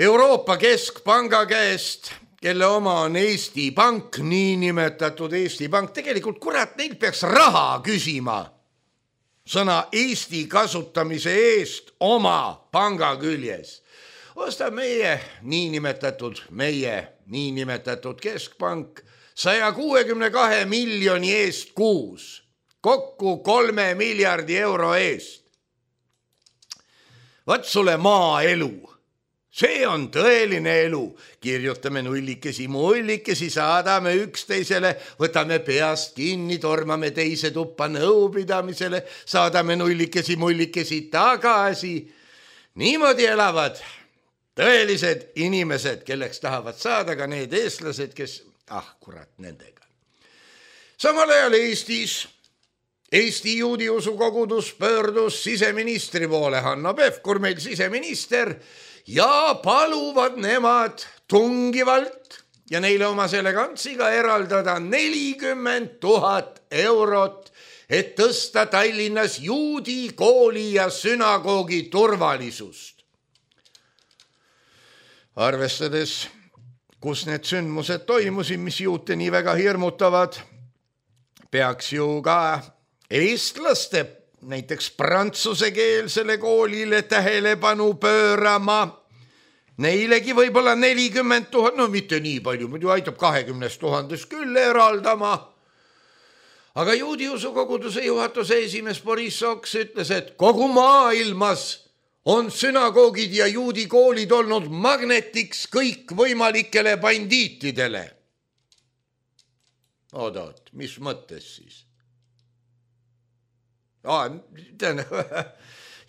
Euroopa Keskpanga käest, kelle oma on Eesti Pank, niinimetatud Eesti Pank, tegelikult kurat, neil peaks raha küsima sõna Eesti kasutamise eest oma panga küljes. Ostab meie niinimetatud, meie niinimetatud Keskpank saja kuuekümne kahe miljoni eest kuus, kokku kolme miljardi euro eest. Vaat sulle maaelu. See on tõeline elu, kirjutame nullikesi, mullikesi, saadame üksteisele, võtame peast kinni, tormame teise tuppa nõupidamisele, saadame nullikesi, mullikesi tagasi. Niimoodi elavad tõelised inimesed, kelleks tahavad saada ka need eestlased, kes, ah kurat, nendega. Samal ajal Eestis, Eesti juudi usukogudus pöördus siseministri poole, Hanno Pevkur, meil siseminister, ja paluvad nemad tungivalt ja neile oma elegantsiga eraldada nelikümmend tuhat eurot, et tõsta Tallinnas juudi kooli ja sünagoogi turvalisust. Arvestades, kus need sündmused toimusid, mis juute nii väga hirmutavad, peaks ju ka eestlaste näiteks prantsusekeelsele koolile tähelepanu pöörama. Neilegi võib-olla nelikümmend tuhat, no mitte nii palju, muidu aitab kahekümnest tuhandest küll eraldama. Aga juudi usukoguduse juhatuse esimees Boris Soks ütles, et kogu maailmas on sünagoogid ja juudi koolid olnud magnetiks kõik võimalikele bandiitidele. Oodot, mis mõttes siis? Ah, ten,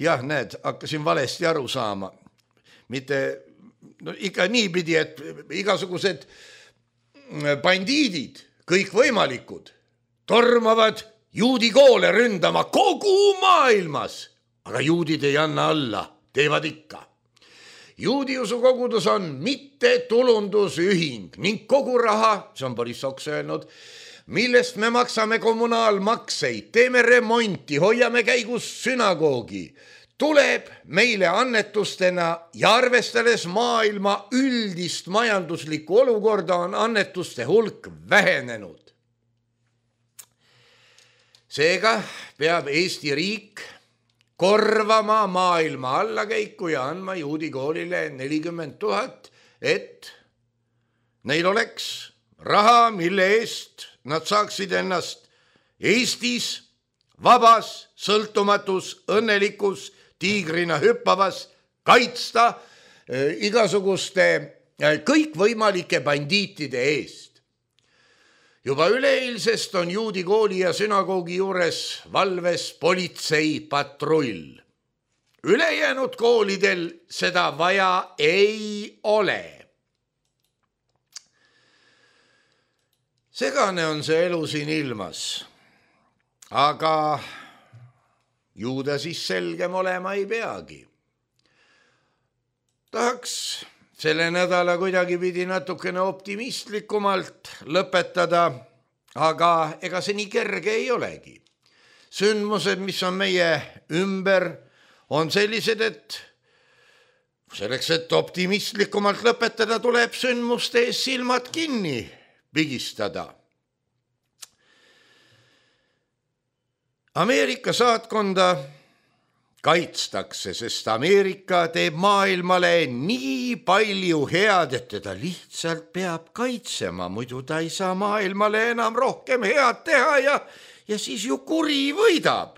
jah, näed, hakkasin valesti aru saama. Mitte, no ikka niipidi, et igasugused bandiidid, kõik võimalikud, tormavad juudi koole ründama kogu maailmas, aga juudid ei anna alla, teevad ikka. Juudi usukogudus on mittetulundusühing ning kogu raha, see on Boris Soks öelnud, millest me maksame kommunaalmakseid, teeme remonti, hoiame käigus sünagoogi, tuleb meile annetustena ja arvestades maailma üldist majanduslikku olukorda on annetuste hulk vähenenud. Seega peab Eesti riik korvama maailma allakäiku ja andma juudi koolile nelikümmend tuhat, et neil oleks raha, mille eest nad saaksid ennast Eestis vabas, sõltumatus, õnnelikus, tiigrina hüppavas kaitsta äh, igasuguste äh, kõikvõimalike bandiitide eest. Juba üleeilsest on juudi kooli ja sünagoogi juures valves politsei patrull. ülejäänud koolidel seda vaja ei ole. Segane on see elu siin ilmas, aga ju ta siis selgem olema ei peagi. Tahaks selle nädala kuidagi pidi natukene optimistlikumalt lõpetada, aga ega see nii kerge ei olegi. Sündmused, mis on meie ümber, on sellised, et selleks, et optimistlikumalt lõpetada, tuleb sündmuste ees silmad kinni pigistada. Ameerika saatkonda kaitstakse, sest Ameerika teeb maailmale nii palju head, et teda lihtsalt peab kaitsema, muidu ta ei saa maailmale enam rohkem head teha ja, ja siis ju kuri võidab.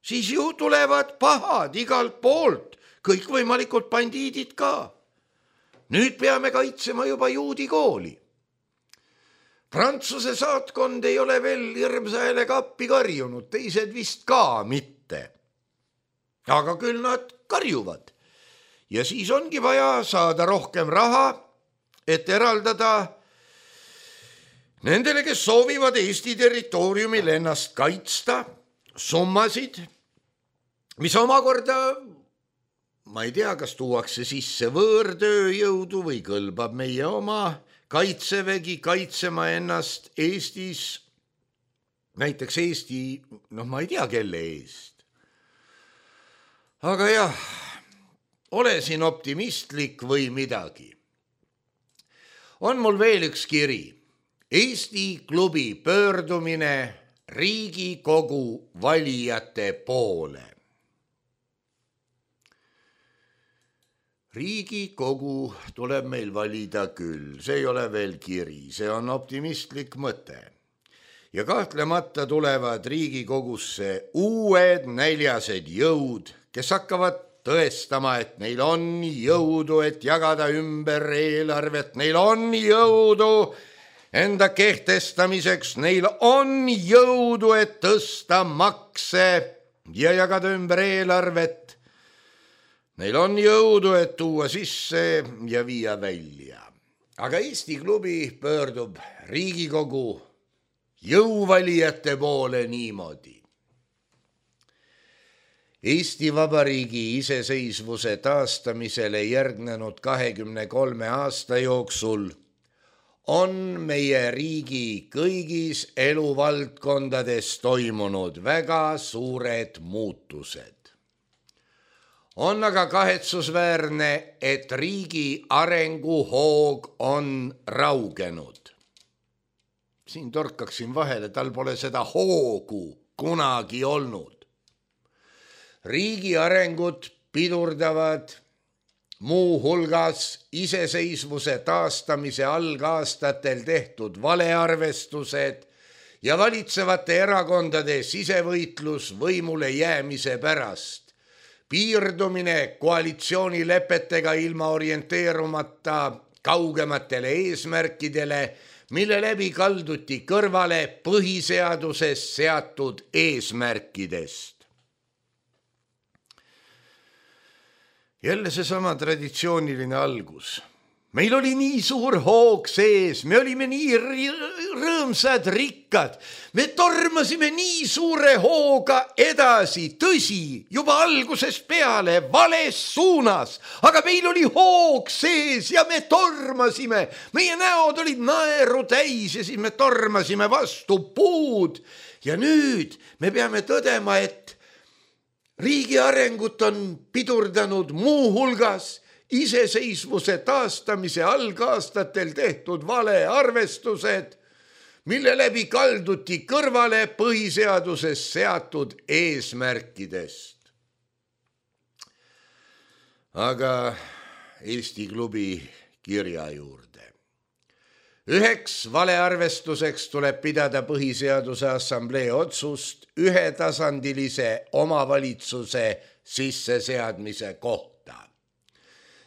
Siis ju tulevad pahad igalt poolt, kõikvõimalikud bandiidid ka. Nüüd peame kaitsema juba juudi kooli. Prantsuse saatkond ei ole veel hirmsahele kappi karjunud, teised vist ka mitte. Aga küll nad karjuvad. Ja siis ongi vaja saada rohkem raha, et eraldada nendele, kes soovivad Eesti territooriumil ennast kaitsta, summasid, mis omakorda, ma ei tea, kas tuuakse sisse võõrtööjõudu või kõlbab meie oma kaitsevägi kaitsema ennast Eestis, näiteks Eesti, noh ma ei tea kelle eest. Aga jah, ole siin optimistlik või midagi. On mul veel üks kiri. Eesti klubi pöördumine Riigikogu valijate poole. Riigikogu tuleb meil valida küll, see ei ole veel kiri, see on optimistlik mõte. Ja kahtlemata tulevad Riigikogusse uued näljased jõud, kes hakkavad tõestama, et neil on jõudu, et jagada ümber eelarvet, neil on jõudu enda kehtestamiseks, neil on jõudu, et tõsta makse ja jagada ümber eelarvet. Neil on jõudu, et tuua sisse ja viia välja. Aga Eesti klubi pöördub Riigikogu jõuvalijate poole niimoodi. Eesti Vabariigi iseseisvuse taastamisele järgnenud kahekümne kolme aasta jooksul on meie riigi kõigis eluvaldkondades toimunud väga suured muutused. On aga kahetsusväärne, et riigi arenguhoog on raugenud. Siin torkaksin vahele, tal pole seda hoogu kunagi olnud. Riigi arengut pidurdavad muu hulgas iseseisvuse taastamise algaastatel tehtud valearvestused ja valitsevate erakondade sisevõitlus võimule jäämise pärast. Piirdumine koalitsioonilepetega ilma orienteerumata kaugematele eesmärkidele, mille läbi kalduti kõrvale põhiseaduses seatud eesmärkidest. Jälle seesama traditsiooniline algus. Meil oli nii suur hoog sees, me olime nii rõõmsad, rikkad, me tormasime nii suure hooga edasi, tõsi, juba algusest peale, vales suunas, aga meil oli hoog sees ja me tormasime, meie näod olid naeru täis ja siis me tormasime vastu puud ja nüüd me peame tõdema, et riigi arengut on pidurdanud muu hulgas iseseisvuse taastamise algaastatel tehtud valearvestused, mille läbi kalduti kõrvale põhiseaduses seatud eesmärkidest. Aga Eesti klubi kirja juurde. Üheks valearvestuseks tuleb pidada põhiseaduse assamblee otsust ühetasandilise omavalitsuse sisseseadmise kohta.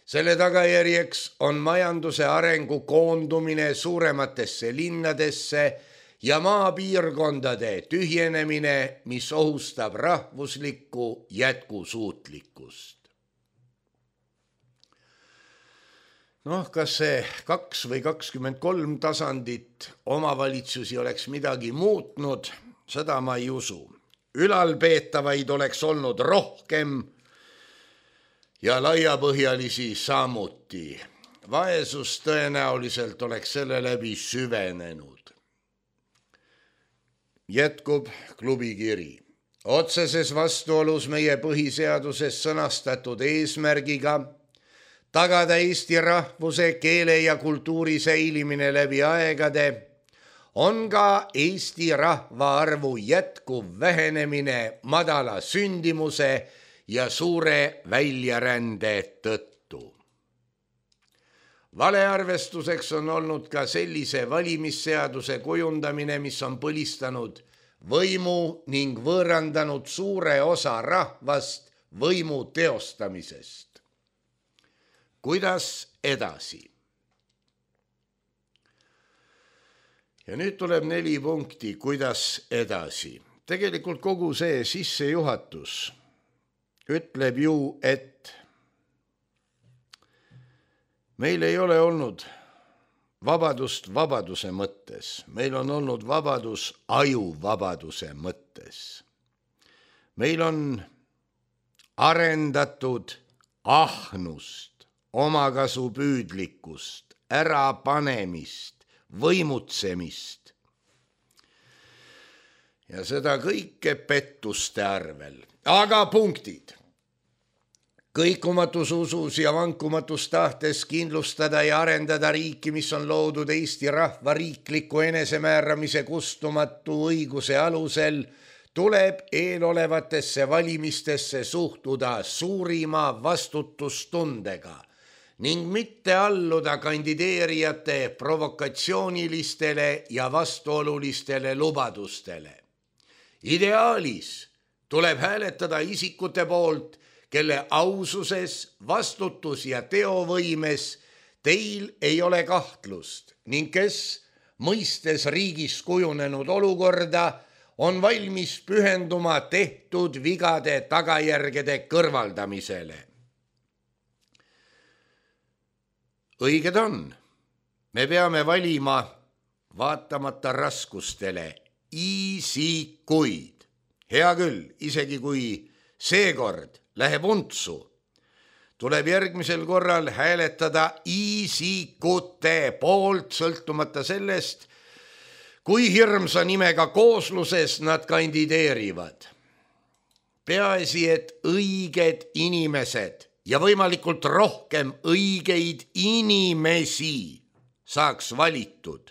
Selle tagajärjeks on majanduse arengu koondumine suurematesse linnadesse ja maapiirkondade tühjenemine, mis ohustab rahvuslikku jätkusuutlikkust. Noh, kas see kaks või kakskümmend kolm tasandit omavalitsusi oleks midagi muutnud, seda ma ei usu. Ülalpeetavaid oleks olnud rohkem ja laiapõhjalisi samuti. Vaesus tõenäoliselt oleks selle läbi süvenenud. Jätkub klubikiri. Otseses vastuolus meie põhiseaduses sõnastatud eesmärgiga tagada Eesti rahvuse, keele ja kultuuri säilimine läbi aegade on ka Eesti rahvaarvu jätkuv vähenemine madala sündimuse ja suure väljarände tõttu. Valearvestuseks on olnud ka sellise valimisseaduse kujundamine, mis on põlistanud võimu ning võõrandanud suure osa rahvast võimu teostamisest. Kuidas edasi? Ja nüüd tuleb neli punkti, kuidas edasi. Tegelikult kogu see sissejuhatus ütleb ju, et meil ei ole olnud vabadust vabaduse mõttes. Meil on olnud vabadus ajuvabaduse mõttes. Meil on arendatud ahnust, omakasupüüdlikkust, ärapanemist, võimutsemist. Ja seda kõike pettuste arvel. Aga punktid. Kõikumatus usus ja vankumatus tahtes kindlustada ja arendada riiki, mis on loodud Eesti rahva riikliku enesemääramise kustumatu õiguse alusel, tuleb eelolevatesse valimistesse suhtuda suurima vastutustundega ning mitte alluda kandideerijate provokatsioonilistele ja vastuolulistele lubadustele. Ideaalis tuleb hääletada isikute poolt, kelle aususes, vastutus ja teovõimes teil ei ole kahtlust ning kes, mõistes riigis kujunenud olukorda, on valmis pühenduma tehtud vigade tagajärgede kõrvaldamisele. Õiged on. Me peame valima vaatamata raskustele isikuid. Hea küll, isegi kui seekord läheb untsu, tuleb järgmisel korral hääletada isikute poolt, sõltumata sellest, kui hirmsa nimega koosluses nad kandideerivad. Peaasi, et õiged inimesed ja võimalikult rohkem õigeid inimesi saaks valitud,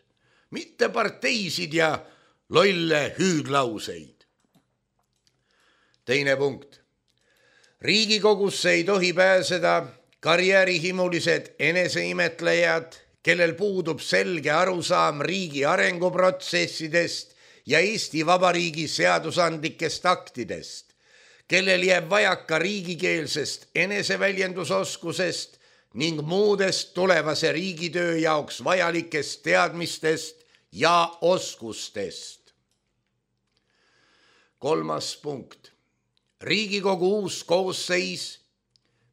mitte parteisid ja lolle hüüdlauseid. Teine punkt. Riigikogusse ei tohi pääseda karjäärihimulised eneseimetlejad, kellel puudub selge arusaam riigi arenguprotsessidest ja Eesti Vabariigi seadusandlikest aktidest, kellel jääb vajaka riigikeelsest eneseväljendusoskusest ning muudest tulevase riigitöö jaoks vajalikest teadmistest ja oskustest. Kolmas punkt. Riigikogu uus koosseis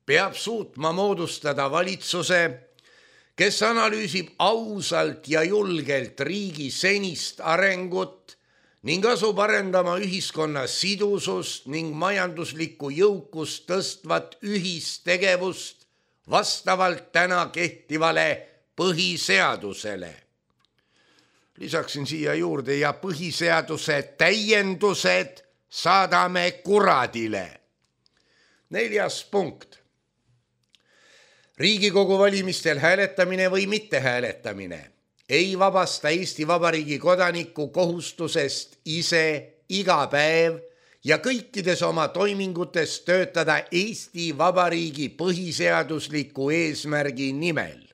peab suutma moodustada valitsuse, kes analüüsib ausalt ja julgelt riigi senist arengut ning asub arendama ühiskonna sidusust ning majanduslikku jõukust tõstvat ühistegevust vastavalt täna kehtivale põhiseadusele. Lisaksin siia juurde ja põhiseaduse täiendused saadame kuradile. Neljas punkt. Riigikogu valimistel hääletamine või mitte hääletamine ei vabasta Eesti Vabariigi kodaniku kohustusest ise iga päev ja kõikides oma toimingutes töötada Eesti Vabariigi põhiseadusliku eesmärgi nimel.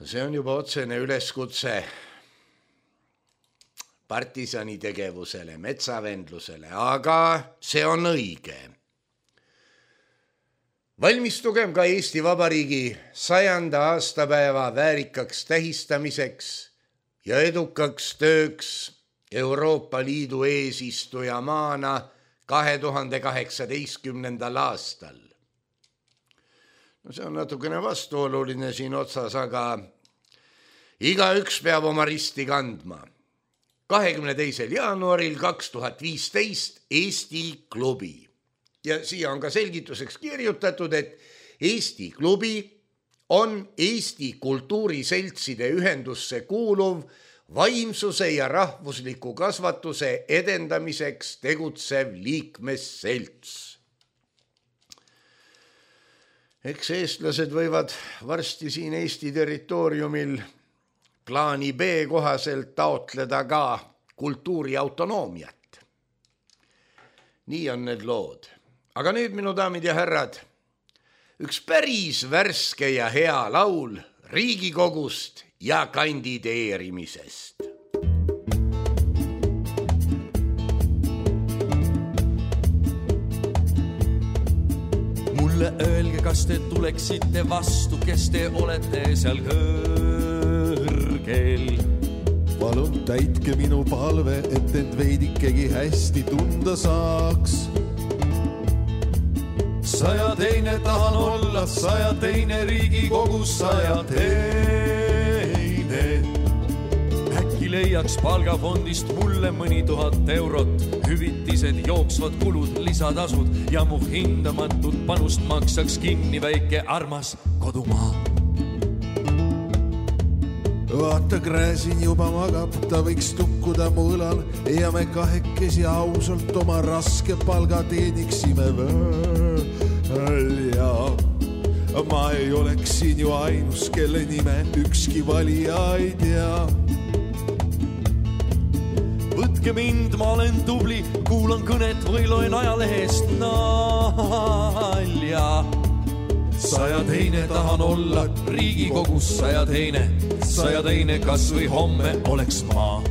See on juba otsene üleskutse partisani tegevusele, metsavendlusele, aga see on õige. Valmistugem ka Eesti Vabariigi sajanda aastapäeva väärikaks tähistamiseks ja edukaks tööks Euroopa Liidu eesistujamaana kahe tuhande kaheksateistkümnendal aastal. No see on natukene vastuoluline siin otsas, aga iga üks peab oma risti kandma. kahekümne teisel jaanuaril kaks tuhat viisteist Eesti klubi. Ja siia on ka selgituseks kirjutatud, et Eesti klubi on Eesti kultuuriseltside ühendusse kuuluv vaimsuse ja rahvusliku kasvatuse edendamiseks tegutsev liikmesselts. Eks eestlased võivad varsti siin Eesti territooriumil plaani B kohaselt taotleda ka kultuuriautonoomiat. Nii on need lood. Aga nüüd, minu daamid ja härrad, üks päris värske ja hea laul Riigikogust ja kandideerimisest. Mulle öelge, kas te tuleksite vastu, kes te olete seal kõrgel. Palun täitke minu palve, et end veidikegi hästi tunda saaks. Saja teine tahan olla, saja teine Riigikogus, saja teine. Äkki leiaks palgafondist mulle mõni tuhat eurot, hüvitised, jooksvad kulud, lisatasud ja mu hindamatut panust maksaks kinni väike armas kodumaa. Vaata, Gräzin juba magab, ta võiks tukkuda mu õlal ja me kahekesi ausalt oma raske palga teeniksime välja. Ma ei oleks siin ju ainus, kelle nime ükski valija ei tea. Võtke mind, ma olen tubli, kuulan kõnet või loen ajalehest nalja. Saja teine tahan olla Riigikogus, saja teine, saja teine kas või homme oleks ma.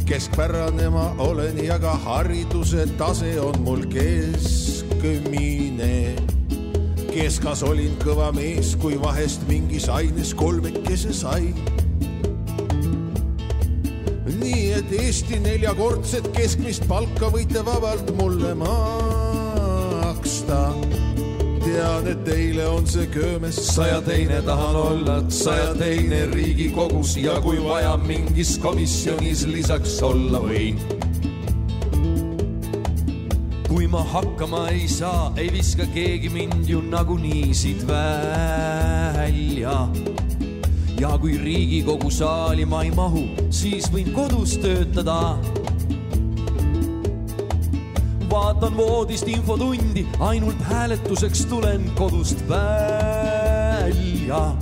Keskpärane ma olen ja ka hariduse tase on mul keskmine. Keskas olin kõva mees, kui vahest mingis aines kolmekese sai. Nii et Eesti neljakordset keskmist palka võite vabalt mulle maksta. Tean, et teile on see köömes. Saja teine tahan olla, saja teine Riigikogus ja kui vaja mingis komisjonis lisaks olla võin. Kui ma hakkama ei saa, ei viska keegi mind ju nagunii siit välja. Ja kui Riigikogu saali ma ei mahu, siis võin kodus töötada. Vaatan voodist infotundi, ainult hääletuseks tulen kodust välja.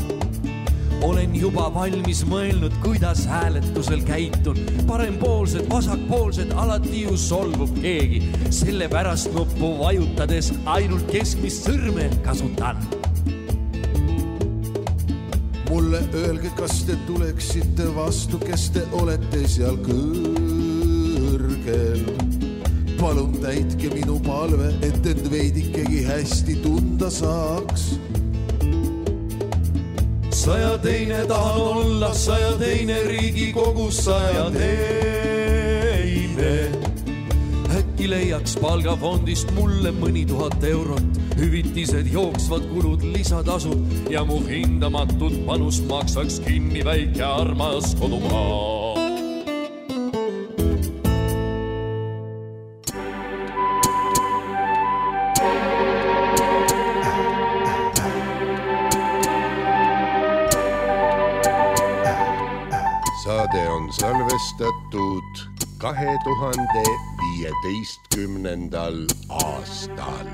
Olen juba valmis mõelnud, kuidas hääletusel käitun. Parempoolsed, vasakpoolsed, alati ju solvub keegi. Selle pärast nuppu vajutades ainult keskmist sõrme kasutan. Mulle öelge, kas te tuleksite vastu, kes te olete seal kõrgel. Palun täitke minu palve, et end veidikegi hästi tunda saaks. Saja teine tahan olla, saja teine Riigikogus, saja teine. Äkki leiaks palgafondist mulle mõni tuhat eurot, hüvitised, jooksvad kulud, lisatasud ja mu hindamatut panust maksaks kinni väike armas kodumaa. Saade on salvestatud kahe tuhande viieteistkümnendal aastal.